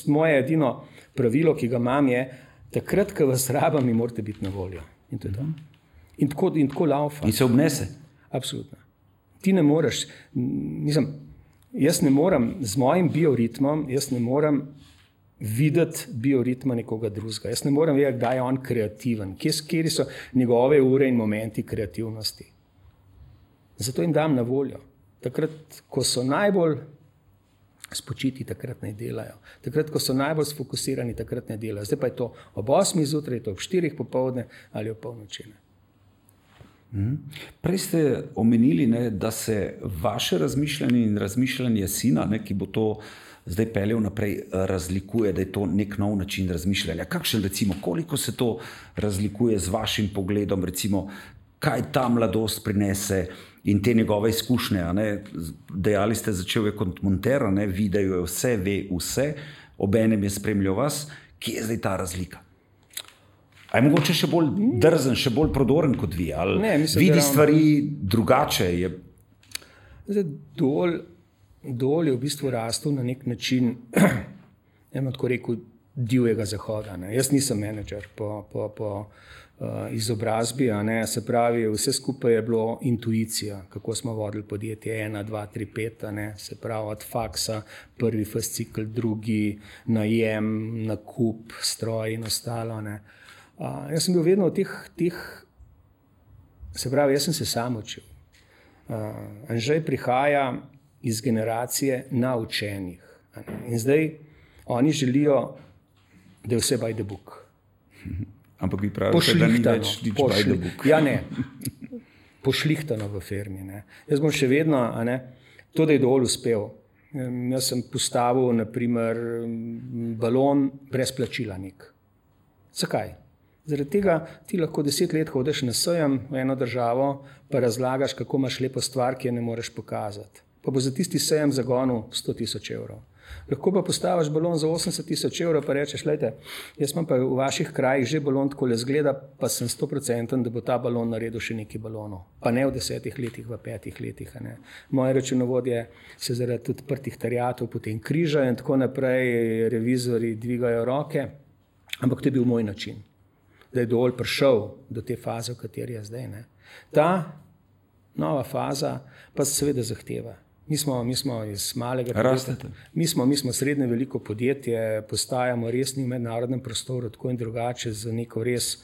Moje edino pravilo, ki ga imam, je, takrat, ko vas rabam, mi morate biti na voljo. In to je to. In tako laufa. In se obnese? Absolutno. Ti ne moreš, jaz ne morem z mojim bioritmom, jaz ne morem videti bioritma nekoga drugega. Jaz ne morem vedeti, kdaj je on kreativen, kje so njegove ure in momenti kreativnosti. Zato jim dam na voljo. Takrat, ko so najbolj spočiti, takrat ne delajo. Takrat, ko so najbolj sfokusirani, takrat ne delajo. Zdaj pa je to ob 8 zjutraj, to ob 4 popoldne ali ob polnoči. Prej ste omenili, da se vaše razmišljanje in razmišljanje sina, ki bo to zdaj peljal naprej, razlikuje, da je to nek nov način razmišljanja. Kakšen, recimo, koliko se to razlikuje z vašim pogledom, recimo, kaj ta mladost prinese in te njegove izkušnje? Dejali ste, začel je kot monter, videl je vse, ve vse, obenem je spremljal vas. Kje je zdaj ta razlika? A je mogoče še bolj drzen, še bolj prodoren kot vi? Ali vidi stvari drugače? Dol je v bistvu rastel na nek način, tako rekel, divjega zahoda. Jaz nisem menedžer po izobrazbi, se pravi, vse skupaj je bilo intuicija, kako smo vodili podjetje 1, 2, 3, 5, se pravi, od faksa, prvi fascikel, drugi, najem, nakup, stroj in ostalo. Jaz sem bil vedno v teh, se pravi, jaz sem se sam učil. Anžej prihaja iz generacije naučenih. In zdaj oni želijo, da je vse by the book. Ampak vi pravite, da ni več by the book. Ja, ne. Pošlihtano v firmi. Jaz bom še vedno, to, da je dol uspel. Jaz sem postavil, naprimer, balon brez plačila nek. Zakaj? Zaradi tega ti lahko 10 let hodiš na sejem v eno državo, pa razlagaš, kako imaš lepo stvar, ki je ne moreš pokazati. Pa bo za tisti sejem zagonil 100.000 evrov. Lahko pa postaviš balon za 80.000 evrov, pa rečeš, lejte, jaz imam pa v vaših krajih že balon takole zgleda, pa sem 100%, da bo ta balon naredil še nekaj balonov. Pa ne v 10 letih, v 5 letih. Moje računovodje se zaradi odprtih terjatov potem križajo in tako naprej, revizori dvigajo roke, ampak to je bil moj način, da je dol prišel do te faze, v kateri je zdaj. Ta nova faza pa seveda zahteva. Mi smo iz malega podjetja, mi smo srednje veliko podjetje, postajamo resni v mednarodnem prostoru, tako in drugače, z neko res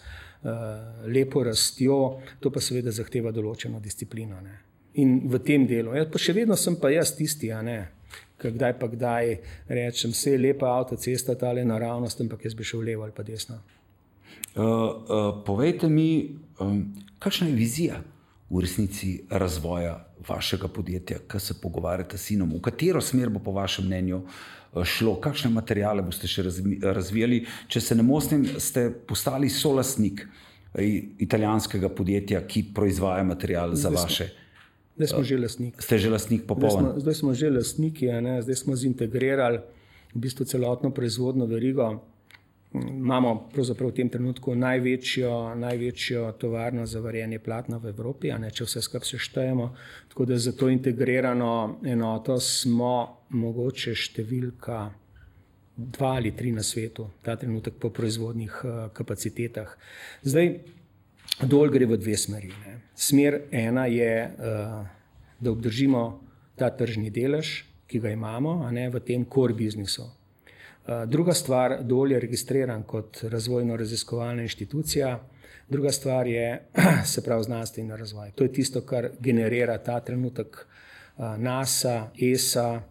lepo rastjo, to pa seveda zahteva določeno disciplino. In v tem delu, pa še vedno sem pa jaz tisti, kdaj pa kdaj rečem, vse je lepa avtocesta, tale naravnost, ampak jaz bi šel levo ali pa desno. Povejte mi, kakšna je vizija v resnici razvoja vašega podjetja, ko se pogovarjate s sinom? V katero smer bo po vašem mnenju šlo? Kakšne materijale boste še razvijali? Če se ne motim, ste postali solastnik italijanskega podjetja, ki proizvaja materijal za vaše. Zdaj smo že lastniki. Ste že lastnik popoln? Zdaj smo že lastniki, zdaj smo zintegrirali v bistvu celotno proizvodno verigo. Imamo pravzaprav v tem trenutku največjo tovarno za varjenje platna v Evropi, če vse skupaj seštejemo. Tako da za to integrirano enoto smo mogoče številka 2 ali 3 na svetu, ta trenutek po proizvodnih kapacitetah. Zdaj, dol gre v 2 smeri. Smer ena je, da obdržimo ta tržni delež, ki ga imamo, a ne v tem core biznisu. Druga stvar, Dol je registriran kot razvojno-raziskovalna inštitucija, druga stvar je, se pravi, znanstveni razvoj. To je tisto, kar generira ta trenutek NASA, ESA,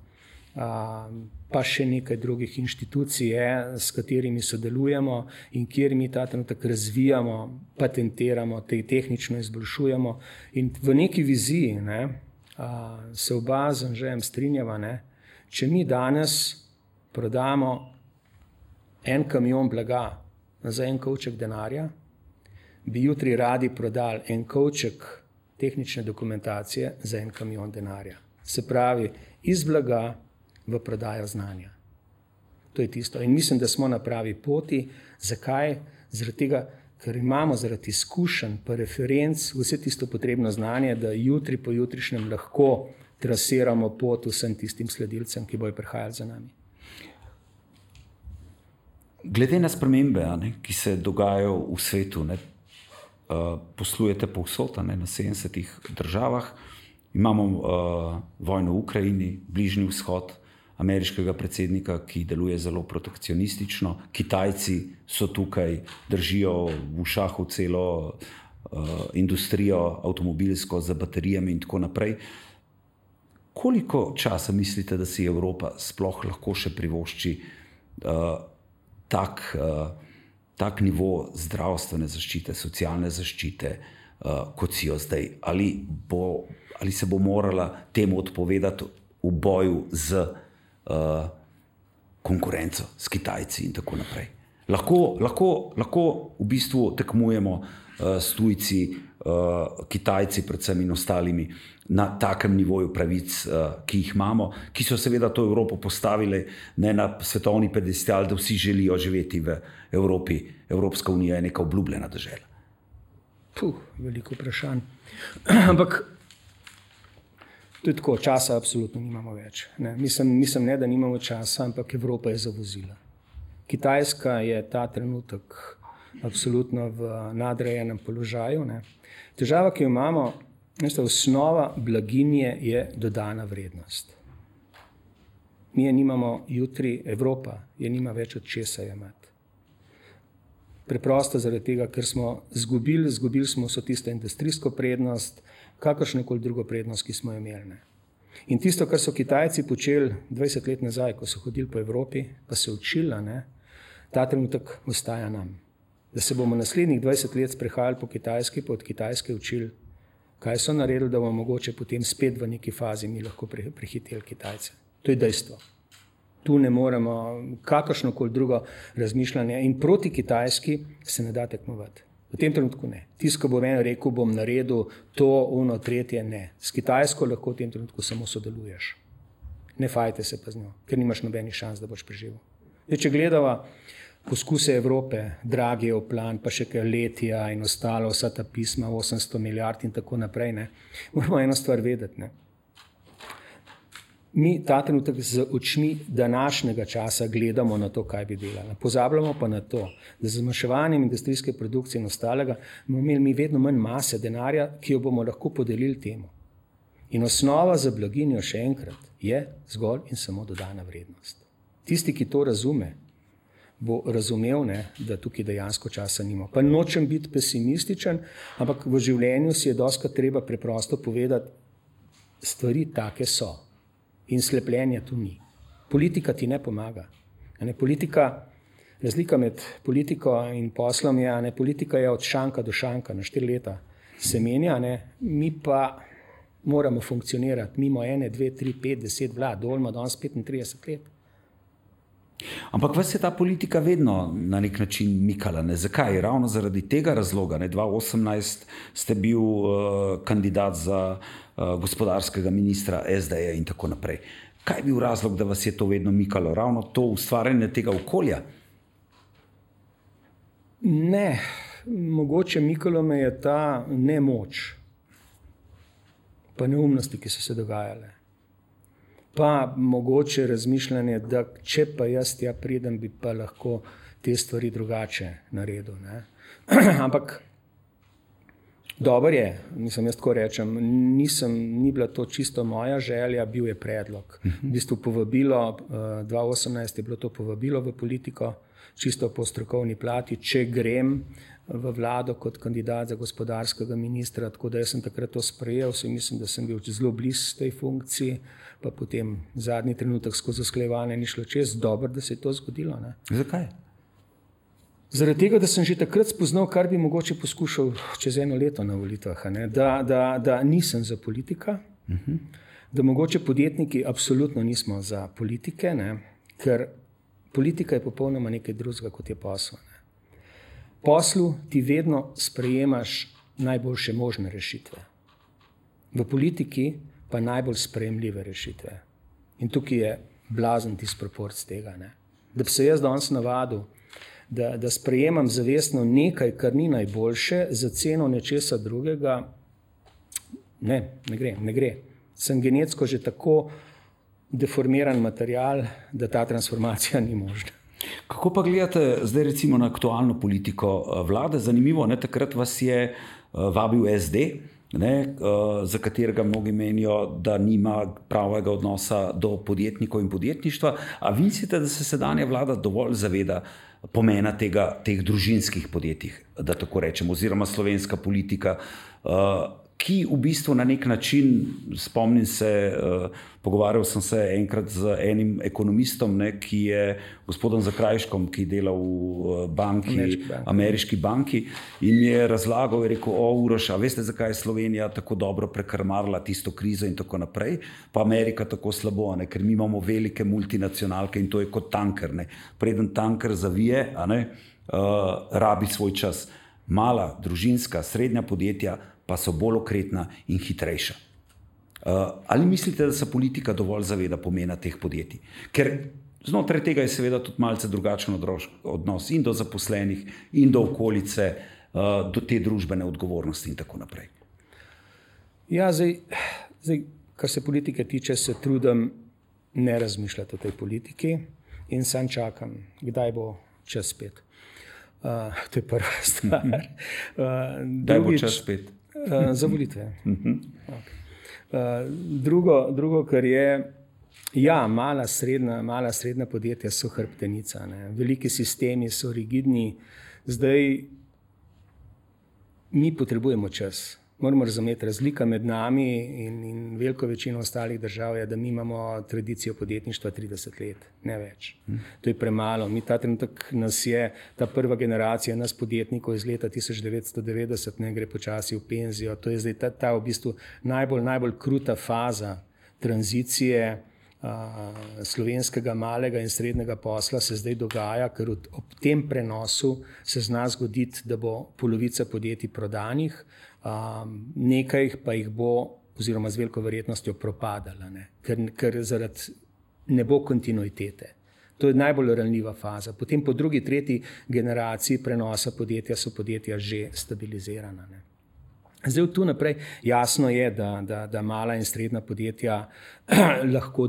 pa še nekaj drugih inštitucij, s katerimi sodelujemo in kjer mi ta trenutek razvijamo, patentiramo, tehnično izboljšujemo. In v neki viziji se oba z Anžejem strinjava, če mi danes prodamo en kamion blaga za en kovček denarja, bi jutri radi prodali en kovček tehnične dokumentacije za en kamion denarja. Se pravi, iz blaga v prodajo znanja. To je tisto. In mislim, da smo na pravi poti. Zakaj? Zaradi tega, ker imamo zaradi izkušenj pa referenc vse tisto potrebno znanje, da jutri po jutrišnjem lahko trasiramo pot vsem tistim sledilcem, ki bojo prihajali za nami. Glede na spremembe, ki se dogajajo v svetu, poslujete povsod, na 70 državah, imamo vojno v Ukrajini, Bližnji vzhod, ameriškega predsednika, ki deluje zelo protekcionistično, Kitajci so tukaj, držijo v šahu celo industrijo avtomobilsko z baterijami in tako naprej. Koliko časa mislite, da si Evropa sploh lahko še privošči tak nivo zdravstvene zaščite, socialne zaščite, kot si jo zdaj? Ali se bo morala temu odpovedati v boju z konkurenco, s Kitajci in tako naprej? Lahko v bistvu tekmujemo s tujci, Kitajci predvsem in ostalimi na takem nivoju pravic, ki jih imamo, ki so seveda to Evropo postavili na svetovni pedestal, da vsi želijo živeti v Evropi. Evropska unija je neka obljubljena dežela. Veliko vprašanj. Ampak to je tako, časa absolutno nimamo več. Mislim, ne, da nimamo časa, ampak Evropa je zavozila. Kitajska je ta trenutek absolutno v nadrejenem položaju. Težava, ki jo imamo, osnova blaginje je dodana vrednost. Mi je nimamo jutri, Evropa je nima več od česa jemati. Preprosto zaradi tega, ker smo izgubili smo vso tisto industrijsko prednost, kakršnokoli drugo prednost, ki smo jo imeli. In tisto, kar so Kitajci počeli 20 let nazaj, ko so hodili po Evropi, pa se učili, ta trenutek ostaja nam. Da se bomo naslednjih 20 let sprehajali po Kitajski, pa od Kitajske učili, kaj so naredili, da bomo mogoče potem spet v neki fazi mi lahko prehiteli Kitajce. To je dejstvo. Tu ne moremo kakršnokoli drugo razmišljanje in proti Kitajski se ne da tekmovati. V tem trenutku ne. Tisto, ko bo meni rekel, bom naredil to, ono, tretje, ne. S Kitajsko lahko v tem trenutku samo sodeluješ. Ne fajte se pa z njo, ker nimaš nobenih šans, da boš preživel. Če gledava poskuse Evrope, Draghijev plan, pa še kaj Letija in ostalo, vsa ta pisma, 800 milijard in tako naprej, moramo eno stvar vedeti. Mi ta trenutek z očmi današnjega časa gledamo na to, kaj bi delali. Pozabljamo pa na to, da z zmanjševanjem industrijske produkcije in ostalega bomo imeli mi vedno manj mase denarja, ki jo bomo lahko podelili temu. In osnova za blaginjo, še enkrat, je zgolj in samo dodana vrednost. Tisti, ki to razume, bo razumel, da tukaj dejansko časa nima. Pa nočem biti pesimističen, ampak v življenju si je dostikrat treba preprosto povedati, stvari take so. In slepljenja tu ni. Politika ti ne pomaga. Razlika med politiko in poslom je, politika je od šanka do šanka, na 4 leta se menja, mi pa moramo funkcionirati mimo 1, 2, 3, 5, 10 vlad, dolmo danes 35 let. Ampak vas je ta politika vedno na nek način mikala. Zakaj? Ravno zaradi tega razloga. 2018 ste bil kandidat za gospodarskega ministra SD-ja in tako naprej. Kaj je bil razlog, da vas je to vedno mikalo? Ravno to ustvarjanje tega okolja? Ne, mogoče mikalo me je ta nemoč, pa neumnosti, ki so se dogajale. Pa mogoče razmišljanje, da če pa jaz tja pridem, bi pa lahko te stvari drugače naredil. Ampak Dobar je, mislim, jaz tako rečem, ni bila to čisto moja želja, bil je predlog. V bistvu povabilo, 2018 je bilo to povabilo v politiko, čisto po strokovni plati, če grem v vlado kot kandidat za gospodarskega ministra, tako da jaz sem takrat to sprejel, mislim, da sem bil zelo blizu tej funkciji, pa potem zadnji trenutek skozi usklajevanje ni šlo čez, dobro, da se je to zgodilo. Ne. Zakaj? Zaradi tega, da sem že takrat spoznal, kar bi mogoče poskušal čez 1 leto na volitvah, da nisem za politika, da mogoče podjetniki absolutno nismo za politike, ne, ker politika je popolnoma nekaj drugega, kot je posel. Ne. Poslu ti vedno sprejemaš najboljše možne rešitve. V politiki pa najbolj sprejemljive rešitve. In tukaj je blazen disproporc tega. Ne. Da bi se jaz danes navadil, da sprejemam zavestno nekaj, kar ni najboljše, za ceno nečesa drugega, ne gre. Sem genetsko že tako deformiran material, da ta transformacija ni možna. Kako pa gledate zdaj recimo na aktualno politiko vlade? Zanimivo, ne, takrat vas je vabil SD, ne, za katerega mnogi menijo, da nima pravega odnosa do podjetnikov in podjetništva. A vi mislite, da se sedanja vlada dovolj zaveda pomena teh družinskih podjetij, da tako rečem, oziroma slovenska politika, ki v bistvu na nek način, spomnim se, pogovarjal sem se enkrat z enim ekonomistom, ne, ki je gospodom Zakrajškom, ki dela v ameriški banki, in mi je razlagal, je rekel, Uroš, a veste, zakaj je Slovenija tako dobro prekrmarila tisto krizo in tako naprej, pa Amerika tako slabo, ne, ker mi imamo velike multinacionalke in to je kot tanker. Ne. Preden tanker zavije, rabi svoj čas. Mala, družinska, srednja podjetja pa so bolj okretna in hitrejša. Ali mislite, da se politika dovolj zaveda pomena teh podjetij? Ker znotraj tega je seveda tudi malce drugačen odnos in do zaposlenih, in do okolice, do te družbene odgovornosti in tako naprej. Ja, zdaj, kar se politike tiče, se trudim ne razmišljati o tej politiki in sam čakam, kdaj bo čas spet. To je prva stvar. Kdaj bo čas spet? Za volitve. Okay. Drugo, kar je, ja, mala srednja podjetja so hrbtenica. Ne. Veliki sistemi so rigidni. Zdaj mi potrebujemo čas. Moramo razumeti, razlika med nami in veliko večino ostalih držav je, da mi imamo tradicijo podjetništva 30 let, ne več. To je premalo. Mi ta trenutek nas je, ta prva generacija nas podjetnikov iz leta 1990 ne gre počasi v penzijo. To je zdaj ta v bistvu najbolj kruta faza tranzicije slovenskega malega in srednjega posla se zdaj dogaja, ker ob tem prenosu se zna zgoditi, da bo polovica podjetij prodanih, nekaj pa jih bo, oziroma z veliko verjetnostjo propadala, ne? Ker zaradi ne bo kontinuitete. To je najbolj ranljiva faza. Potem po drugi, tretji generaciji prenosa podjetja so podjetja že stabilizirana. Ne? Zdaj tu naprej jasno je, da mala in srednja podjetja lahko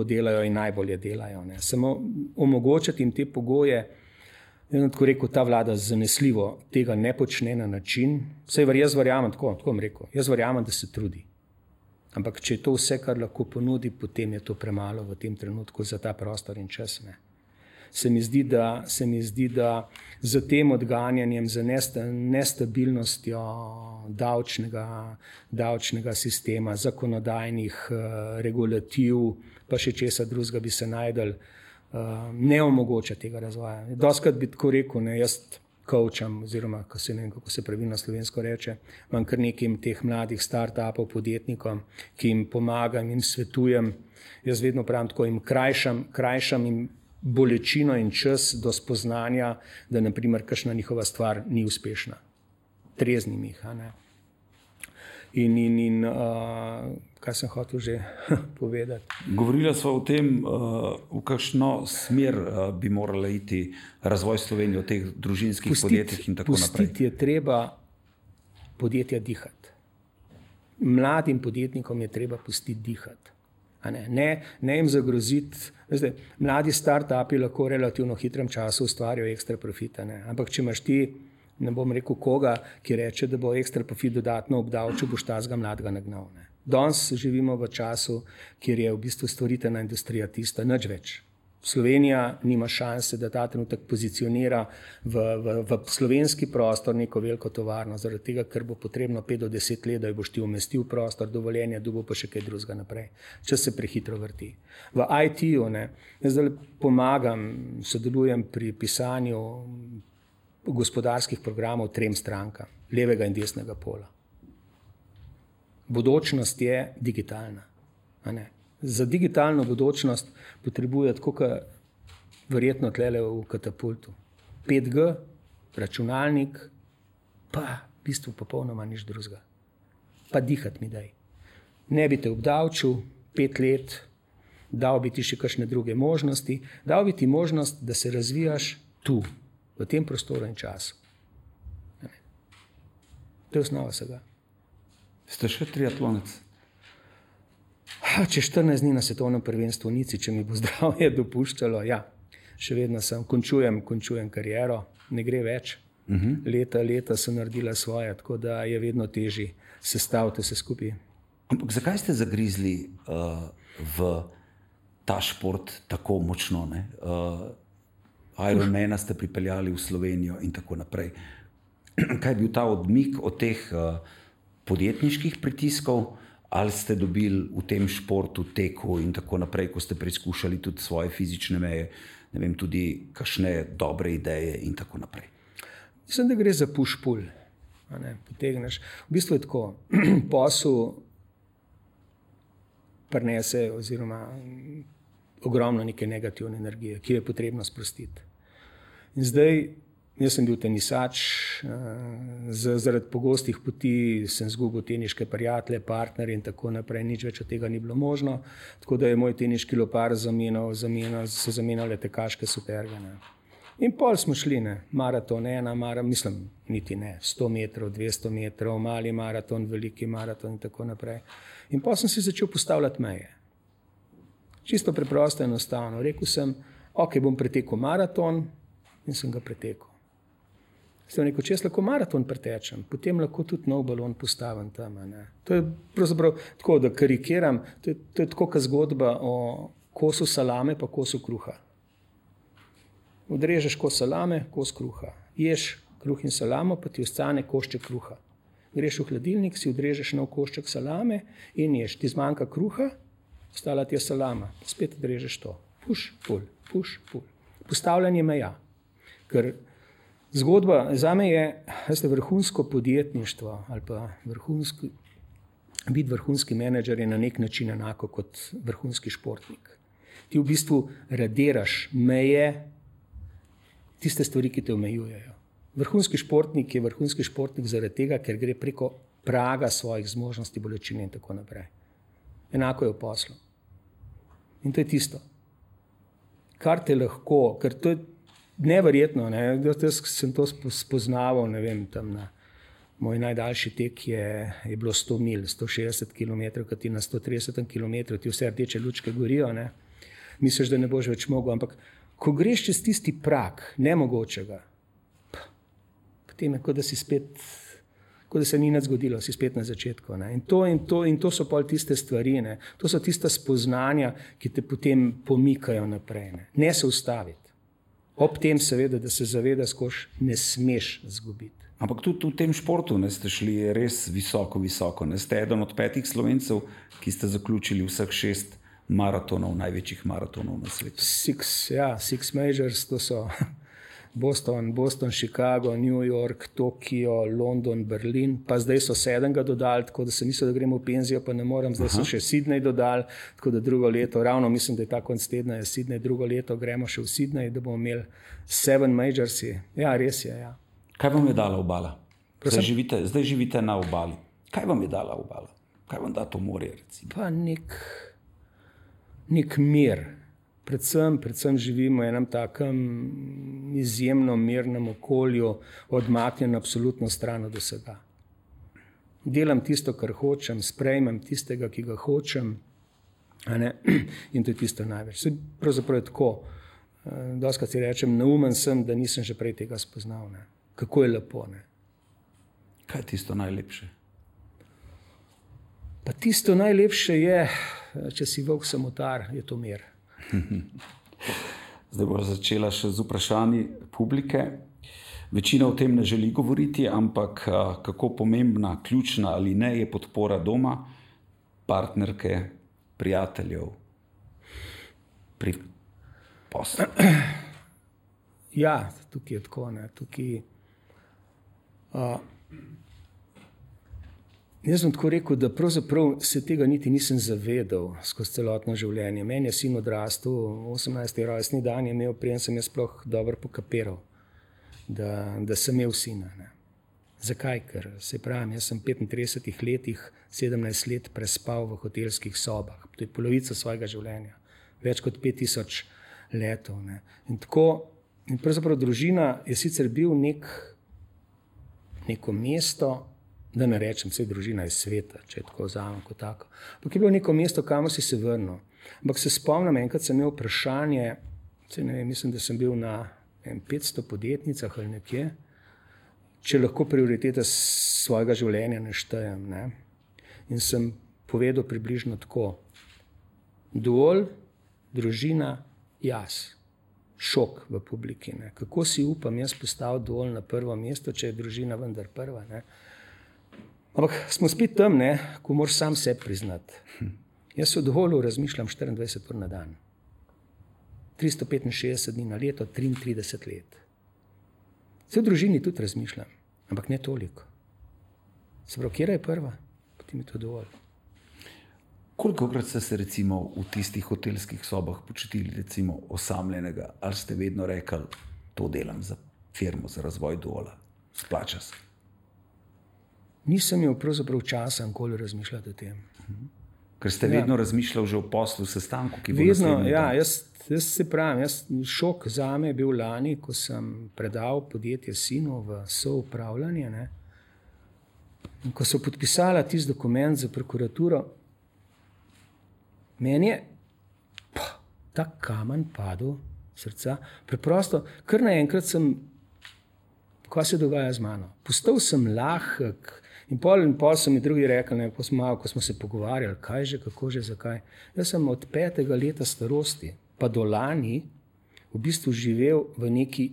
delajo in najbolje delajo. Ne? Samo omogočati jim te pogoje, tako rekel, ta vlada zanesljivo tega ne počne na način, jaz verjamem, tako bom rekel, jaz verjamem, da se trudi. Ampak če je to vse, kar lahko ponudi, potem je to premalo v tem trenutku za ta prostor in čas. Ne? Se mi zdi, da za tem odganjanjem, za nestabilnostjo davčnega sistema, zakonodajnih regulativ, pa še česa drugega bi se najdel, ne omogoča tega razvoja. Doskrat bi tako rekel, ne, jaz coacham, oziroma kako se pravilno slovensko reče, imam kar nekaj teh mladih start-upov, podjetnikom, ki jim pomagam in svetujem. Jaz vedno pravim tako, jim krajšam jim bolečino in čas do spoznanja, da naprimer kakšna njihova stvar ni uspešna. Treznim jih. In kaj sem hotel že povedati? Govorila sva o tem, v kakšno smer bi morala iti razvoj Slovenije v teh družinskih podjetjih in tako naprej. Pustiti je treba podjetja dihati. Mladim podjetnikom je treba pustiti dihati. Ne jim zagroziti. Zdaj, mladi start-upi lahko v relativno hitrem času ustvarijo ekstra profita. Ne? Ampak če imaš ti ne bom rekel koga, ki reče, da bo ekstra profit dodatno obdavčil, boš tazga mladega nagnal. Ne. Danes živimo v času, kjer je v bistvu stvoritvena industrija tista, nič več. Slovenija nima šanse, da ta trenutek pozicionira v slovenski prostor neko veliko tovarno, zaradi tega, ker bo potrebno 5 do 10 let, da jo boš ti umestil v prostor, dovoljenje, dobo pa še kaj drugega naprej. Čas se prehitro vrti. V IT-ju, jaz zdaj pomagam, sodelujem pri pisanju gospodarskih programov 3 strankam, levega in desnega pola. Bodočnost je digitalna, a ne? Za digitalno bodočnost potrebuje tako, kot verjetno tlele v katapultu. 5G, računalnik, pa v bistvu popolnoma nič drugega. Pa dihati mi daj. Ne bi te obdavčil 5 let, dal bi ti še kakšne druge možnosti, dal bi ti možnost, da se razvijaš tu, v tem prostoru in času. To je osnova vsega. Ste še triatlonec? Če 14 dni na svetovnem prvenstvu Nici, če mi bo zdravje dopuščalo, ja, še vedno sem, končujem kariero, ne gre več. Leta so naredila svoje, tako da je vedno težje sestaviti vse skupaj. Ampak zakaj ste zagrizli v ta šport tako močno? Ironmana ste pripeljali v Slovenijo in tako naprej. Kaj je bil ta odmik od teh podjetniških pritiskov? Ali ste dobili v tem športu, teku in tako naprej, ko ste preizkušali tudi svoje fizične meje, ne vem, tudi kakšne dobre ideje in tako naprej? Mislim, da gre za push-pull. Potegneš. V bistvu je tako, posel prinese oziroma ogromno neke negativne energije, ki jo je potrebno sprostiti. In zdaj, jaz sem bil tenisač, zaradi pogostih poti sem izgubil teniške prijatelje, partnerje in tako naprej, nič več od tega ni bilo možno, tako da je moj teniški lopar so zamenjale tekaške superge. In pol smo šli, maraton, niti ne, 100 metrov, 200 metrov, mali maraton, veliki maraton in tako naprej. In pol sem si začel postavljati meje. Čisto preprosto, enostavno. Rekel sem, ok, bom pretekel maraton in sem ga pretekel. Sem rekel, če jaz lahko maraton pretečem, potem lahko tudi nov balon postavim tam. To je pravzaprav tako, da karikiram, to je tako kot zgodba o kosu salame pa kosu kruha. Odrežeš kos salame, kos kruha. Ješ kruh in salamo, pa ti ostane košček kruha. Greš v hladilnik, si odrežeš nov košček salame in ješ. Ti zmanjka kruha, ostala ti je salama. Spet odrežeš to. Push, pull, push, pull. Postavljanje meja. Ker zgodba zame je vrhunsko podjetništvo ali pa biti vrhunski menedžer je na nek način enako kot vrhunski športnik. Ti v bistvu radiraš meje, tiste stvari, ki te omejujejo. Vrhunski športnik je vrhunski športnik zaradi tega, ker gre preko praga svojih zmožnosti, bolečine in tako naprej. Enako je v poslu. In to je tisto, kar te lahko, ker to je neverjetno, jaz sem to spoznaval, ne vem, tam na moj najdaljši tek je bilo 100 mil, 160 km, kad ti na 130 km, ti vse rdeče lučke gorijo, misliš, da ne boš več mogel, ampak ko greš čez tisti prag nemogočega, potem je, kot da se ni nič zgodilo, si spet na začetku. In to so pol tiste stvari, to so tista spoznanja, ki te potem pomikajo naprej. Ne se ustaviti. Ob tem seveda, da se zaveda, skoš ne smeš zgubiti. Ampak tudi v tem športu ste šli res visoko. Ste eden od 5 Slovencev, ki ste zaključili vseh 6 maratonov, največjih maratonov na svetu. 6 majors, to so Boston, Chicago, New York, Tokio, London, Berlin, pa zdaj so 7 dodali, tako da sem mislil, da gremo v penzijo, pa ne morem, zdaj so še Sydney dodali, tako da drugo leto, ravno mislim, da je ta konc tedna je Sydney, drugo leto gremo še v Sydney, da bomo imeli 7 majorsi. Ja, res je, ja. Kaj vam je dala obala? Zdaj živite na obali. Kaj vam je dala obala? Kaj vam da to morje, recimo? Pa nek mir. Predvsem živimo v enem takem izjemno mirnem okolju, odmaknjen absolutno stran od vsega. Delam tisto, kar hočem, sprejmem tistega, ki ga hočem, in to je tisto največ. Pravzaprav je tako, dostikrat si rečem, neumen sem, da nisem že prej tega spoznal. kako je lepo. Ne? Kaj je tisto najlepše? Pa tisto najlepše je, če si volk samotar, je to mir. Zdaj bo začela še z vprašanji publike. Večina o tem ne želi govoriti, ampak kako pomembna, ključna ali ne je podpora doma, partnerke, prijateljev pri poslu. Ja, tukaj je tako. Tukaj, jaz sem tako rekel, da pravzaprav se tega niti nisem zavedal skozi celotno življenje. Meni je sin odrastel, 18. rojstni dan je imel, preden sem jaz sploh dobro pokapiral, da sem imel sina. Ne. Zakaj? Ker se pravim, jaz sem v 35 letih 17 let prespal v hotelskih sobah. To je polovica svojega življenja. Več kot 5000 letov. Ne. In pravzaprav družina je sicer bil neko mesto, da ne rečem, vse družina je sveta, če je tako vzamem kot tako. Ampak je bilo neko mesto, kamor si se vrnil. Ampak se spomnim, enkrat sem imel vprašanje, ne vem, mislim, da sem bil na 500 podjetnicah ali nekje, če lahko prioritete svojega življenja naštejem. Ne? In sem povedal približno tako. Dovolj, družina, jaz. Šok v publiki. Ne? Kako si upam jaz postaviti dovolj na prvo mesto, če je družina vendar prva. Ne? Ampak smo spet tam, ne, ko moraš sam sebi priznati. Jaz se v dovolju razmišljam 24 ur na dan. 365 dni na leto, 33 let. Se v družini tudi razmišljam, ampak ne toliko. Se pravi, kjera je prva? Potem je to dovolj. Kolikokrat ste se recimo v tistih hotelskih sobah počutili recimo osamljenega, ali ste vedno rekli, to delam za firmo, za razvoj Duola, splača se? Nisem imel pravzaprav časa nikoli razmišljati o tem. Ker ste vedno razmišljali že o poslu, sestanku, ki bo vedno, naslednji dan. Jaz se pravim, šok zame je bil lani, ko sem predal podjetje sinu v soupravljanje. Ne? In ko so podpisala tisti dokument za prokuraturo, meni je ta kamen padel srca. Preprosto, kar naenkrat sem, kaj se dogaja z mano. Postal sem lahek. In pol so mi drugi rekli, ko smo se pogovarjali, kaj že, kako že, zakaj. Jaz sem od 5. leta starosti pa do lani v bistvu živel v neki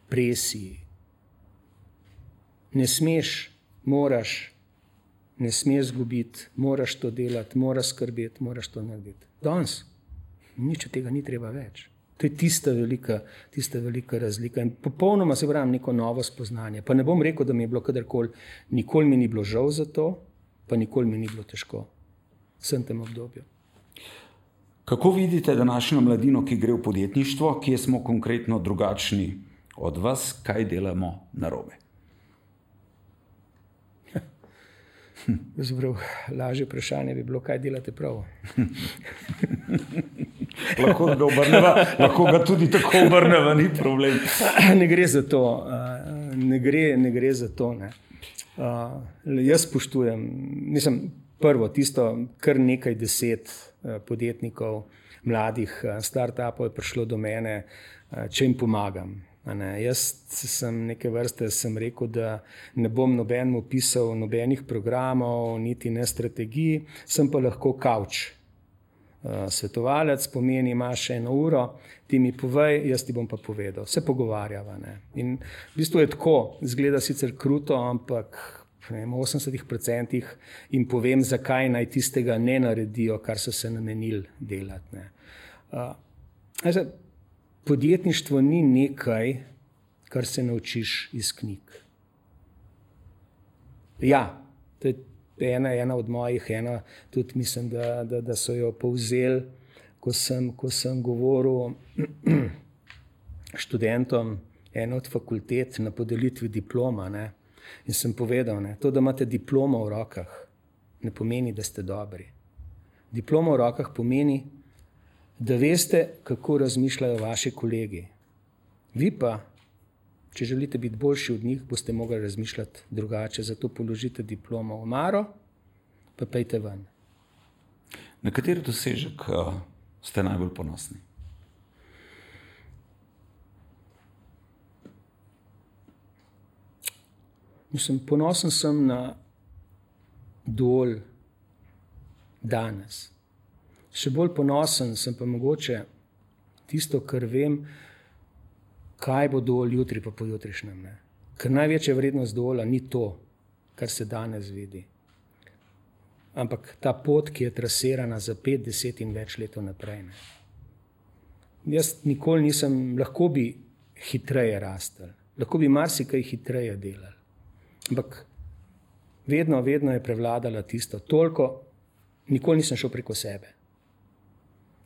presiji. Ne smeš, moraš, ne smeš zgubiti, moraš to delati, moraš skrbeti, moraš to narediti. Danes nič od tega ni treba več. To je tista velika razlika. In popolnoma se pravim neko novo spoznanje. Pa ne bom rekel, da mi je bilo kadarkoli, nikoli mi ni bilo žal za to, pa nikoli mi ni bilo težko. Sem tem obdobju. Kako vidite današnjo mladino, ki gre v podjetništvo, kje smo konkretno drugačni od vas, kaj delamo narobe? Lažje vprašanje bi bilo, kaj delate prav. Lahko ga tudi tako obrneva, ni problem. Ne gre za to. Ne gre za to. Ne. Jaz spoštujem, prvo tisto, kar nekaj 10 podjetnikov, mladih startupov je prišlo do mene, če jim pomagam. Jaz sem neke vrste rekel, da ne bom nobenemu pisal nobenih programov, niti ne strategij, sem pa lahko kavč. Svetovalec pomeni, imaš 1 uro, ti mi povej, jaz ti bom pa povedal. Se pogovarjava. Ne? In v bistvu je tako, izgleda sicer kruto, ampak v 80% jim povem, zakaj naj tistega ne naredijo, kar so se namenili delati. Ne? Podjetništvo ni nekaj, kar se naučiš iz knjig. Ja, to je ena od mojih, tudi mislim, da so jo povzeli, ko sem govoril študentom ene od fakultet na podelitvi diploma. Ne? In sem povedal, ne, to, da imate diplomo v rokah, ne pomeni, da ste dobri. Diploma v rokah pomeni, da veste, kako razmišljajo vaši kolegi. Vi pa, če želite biti boljši od njih, boste mogli razmišljati drugače. Zato položite diplomo v omaro, pa pejte ven. Na kateri dosežek ste najbolj ponosni? Ponosen sem na Dol danes. Še bolj ponosen sem pa mogoče tisto, kar vem, kaj bo Dol jutri pa pojutrišnjem. Ne? Ker največja vrednost Dola ni to, kar se danes vidi. Ampak ta pot, ki je trasirana za 5, 10 in več let naprej. Ne? Jaz nikoli nisem, lahko bi hitreje rastel, lahko bi marsikaj hitreje delal. Ampak vedno je prevladala tisto, toliko, nikoli nisem šel preko sebe.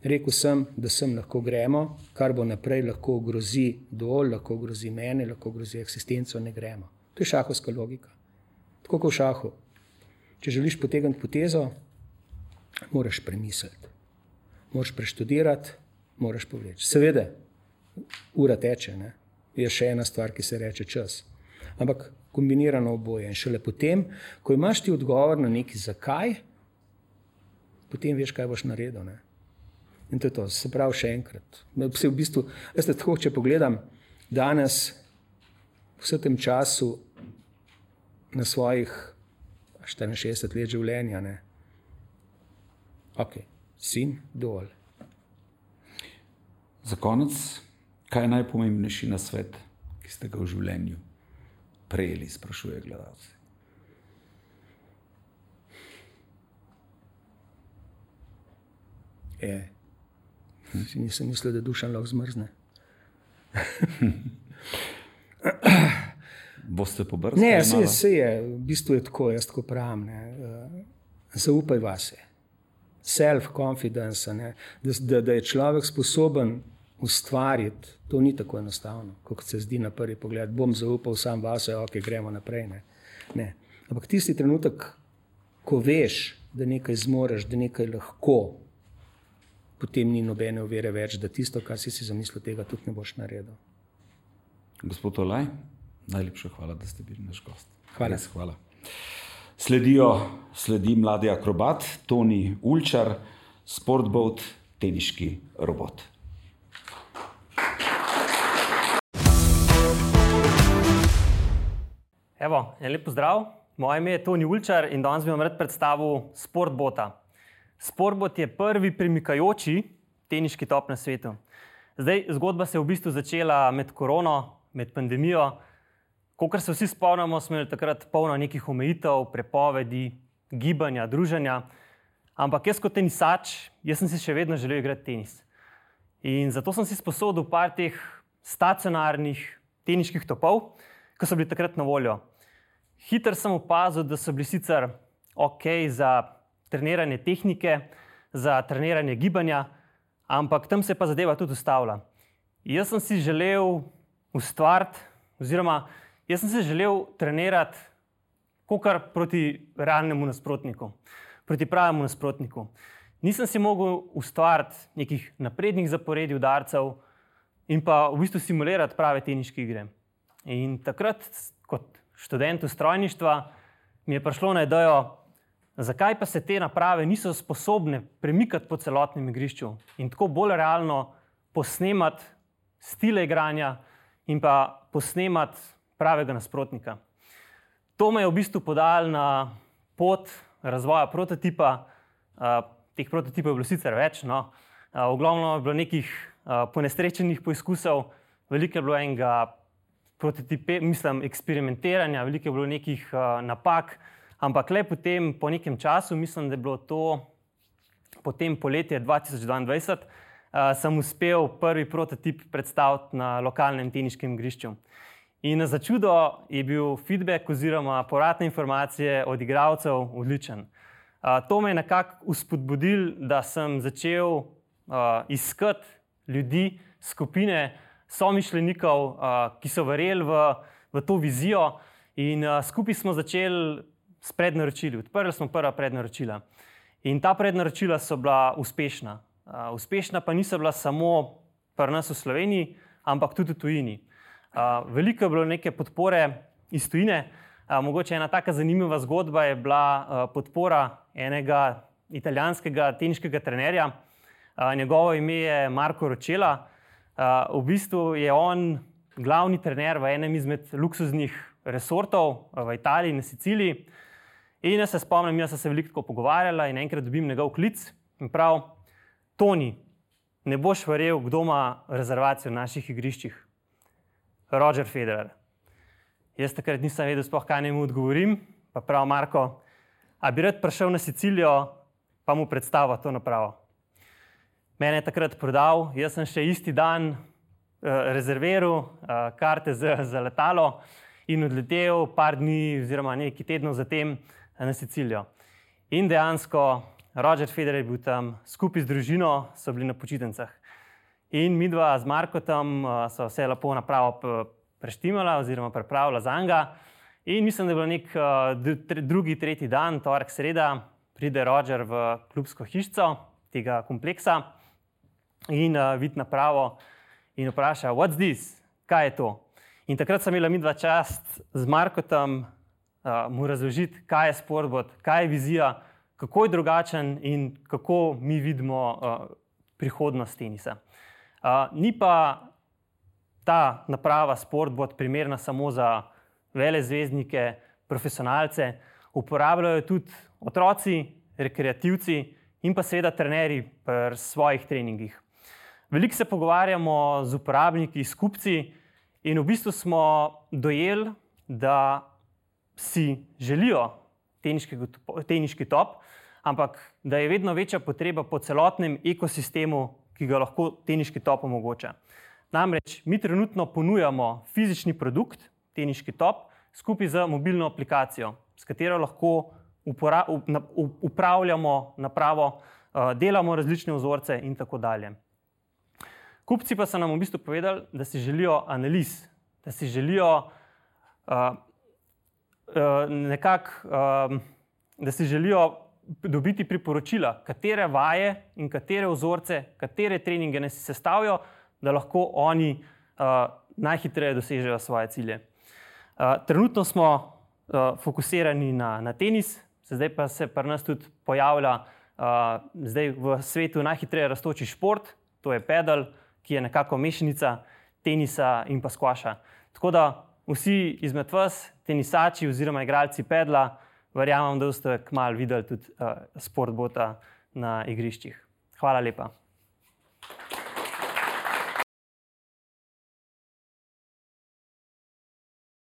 Rekel sem, da sem lahko gremo, kar bo naprej lahko ogrozi Dol, lahko ogrozi mene, lahko ogrozi eksistenco, ne gremo. To je šahovska logika. Tako kot v šahu. Če želiš potegniti potezo, moraš premisliti. Moraš preštudirati, moraš povleči. Seveda, ura teče, ne? Je še ena stvar, ki se reče čas. Ampak kombinirano oboje. In šele potem, ko imaš ti odgovor na neki zakaj, potem veš, kaj boš naredil. Ne? In to je to. Se pravi še enkrat. V bistvu, tako, če pogledam danes, vse tem času na svojih 64 let življenja, ne? Ok, sin, Dol. Za konec, kaj je najpomembnejši nasvet, ki ste ga v življenju prejeli, sprašuje gledalci? Nisem mislil, da Dušan lahko zmrzne. Boste pobrskali? Ne, vse je, v bistvu je tako, jaz tako pravim. Zaupaj vase. Self-confidence, da je človek sposoben ustvariti, to ni tako enostavno, kot se zdi na prvi pogled. Bom zaupal sam vase, ok, gremo naprej. Ne. Ampak tisti trenutek, ko veš, da nekaj zmoreš, da nekaj lahko, potem ni nobene ovire več, da tisto, kar si zamislil, tega tudi ne boš naredil. Gospod Olaj, najlepša hvala, da ste bili naš gost. Hvala. Sledi mladi akrobat, Toni Ulčar, Sportboat, teniški robot. Evo, en lep pozdrav. Moje ime je Toni Ulčar in danes bi vam rad predstavil Sportboata. Sportboat je prvi premikajoči teniški top na svetu. Zdaj, zgodba se je v bistvu začela med korono, med pandemijo. Kolikor se vsi spomnimo, smo imeli takrat polno nekih omejitev, prepovedi, gibanja, druženja. Ampak jaz kot tenisač, jaz sem si še vedno želel igrati tenis. In zato sem si sposodil par teh stacionarnih teniških topov, ki so bili takrat na voljo. Hitro sem opazil, da so bili sicer ok za treniranje tehnike, za treniranje gibanja, ampak tam se pa zadeva tudi ustavlja. Jaz sem si želel ustvariti, oziroma jaz sem se želel trenirati kakor proti realnemu nasprotniku, proti pravemu nasprotniku. Nisem si mogel ustvariti nekih naprednih zaporedij udarcev in pa v bistvu simulirati prave teniške igre. In takrat, kot študent strojništva, mi je prišlo na idejo, zakaj pa se te naprave niso sposobne premikati po celotnem igrišču in tako bolj realno posnemati stile igranja in pa posnemati pravega nasprotnika. To me je v bistvu podalo na pot razvoja prototipa. Teh prototipov je bilo sicer več, no. V glavnem je bilo nekih ponesrečenih poizkusov, veliko je bilo enega eksperimentiranja, veliko je bilo nekih napak, ampak le potem, po nekem času, mislim, da je bilo to potem poletje 2022, sem uspel prvi prototip predstaviti na lokalnem teniškem igrišču. In za čudo je bil feedback oziroma povratne informacije od igralcev odličen. To me je nekako uspodbudil, da sem začel iskati ljudi, skupine somišljenikov, ki so verjeli v to vizijo in skupaj smo začeli s prednaročili. Odprli smo prva prednaročila. In ta prednaročila so bila uspešna. Uspešna pa niso bila samo pri nas v Sloveniji, ampak tudi v tujini. Veliko je bilo neke podpore iz tujine. Mogoče ena taka zanimiva zgodba je bila podpora enega italijanskega teniškega trenerja. Njegovo ime je Marco Roccella. V bistvu je on glavni trener v enem izmed luksuznih resortov v Italiji, na Siciliji. In jaz se spomnim, jaz sem se veliko pogovarjala in enkrat dobim njegov klic in prav, Toni, ne boš verjel, kdo ima rezervacijo na naših igriščih. Roger Federer. Jaz takrat nisem vedel sploh, kaj naj mu odgovorim, pa prav, Marko, a bi rad prišel na Sicilijo, pa mu predstavil to napravo. Mene je takrat prodal, jaz sem še isti dan rezerviral karte za letalo in odletel par dni oziroma nekaj tednov zatem na Sicilijo. In dejansko Roger Federer je bil tam, skupaj z družino so bili na počitnicah. In midva z Markotom so vse lepo napravo preštimala oziroma pripravila za njega. In mislim, da je bilo nek drugi, tretji dan, torek, sreda, pride Roger v klubsko hišico tega kompleksa in vidi napravo in vpraša, what's this? Kaj je to? In takrat sem imela midva čast z Markotom mu razložiti, kaj je Sportbot, kaj je vizija, kako je drugačen in kako mi vidimo prihodnost tenisa. Ni pa ta naprava Sportbot primerna samo za velezvezdnike, profesionalce, uporabljajo tudi otroci, rekreativci in pa seveda trenerji pri svojih treningih. Veliko se pogovarjamo z uporabniki, s kupci in v bistvu smo dojeli, da si želijo teniški top, ampak da je vedno večja potreba po celotnem ekosistemu, ki ga lahko teniški top omogoča. Namreč mi trenutno ponujamo fizični produkt, teniški top, skupaj z mobilno aplikacijo, s katero lahko upravljamo napravo, delamo različne vzorce in tako dalje. Kupci pa so nam v bistvu povedali, da si želijo analiz, da si želijo da si želijo dobiti priporočila, katere vaje in katere vzorce, katere treninge naj si sestavijo, da lahko oni najhitreje dosežejo svoje cilje. Trenutno smo fokusirani na tenis, zdaj pa se pri nas tudi pojavlja zdaj v svetu najhitreje rastoči šport, to je pedal, ki je nekako mešanica tenisa in pa skvaša. Tako da vsi izmed vas, tenisači oziroma igralci pedla, verjamem, da boste kmalu videli tudi Sportbota na igriščih. Hvala lepa.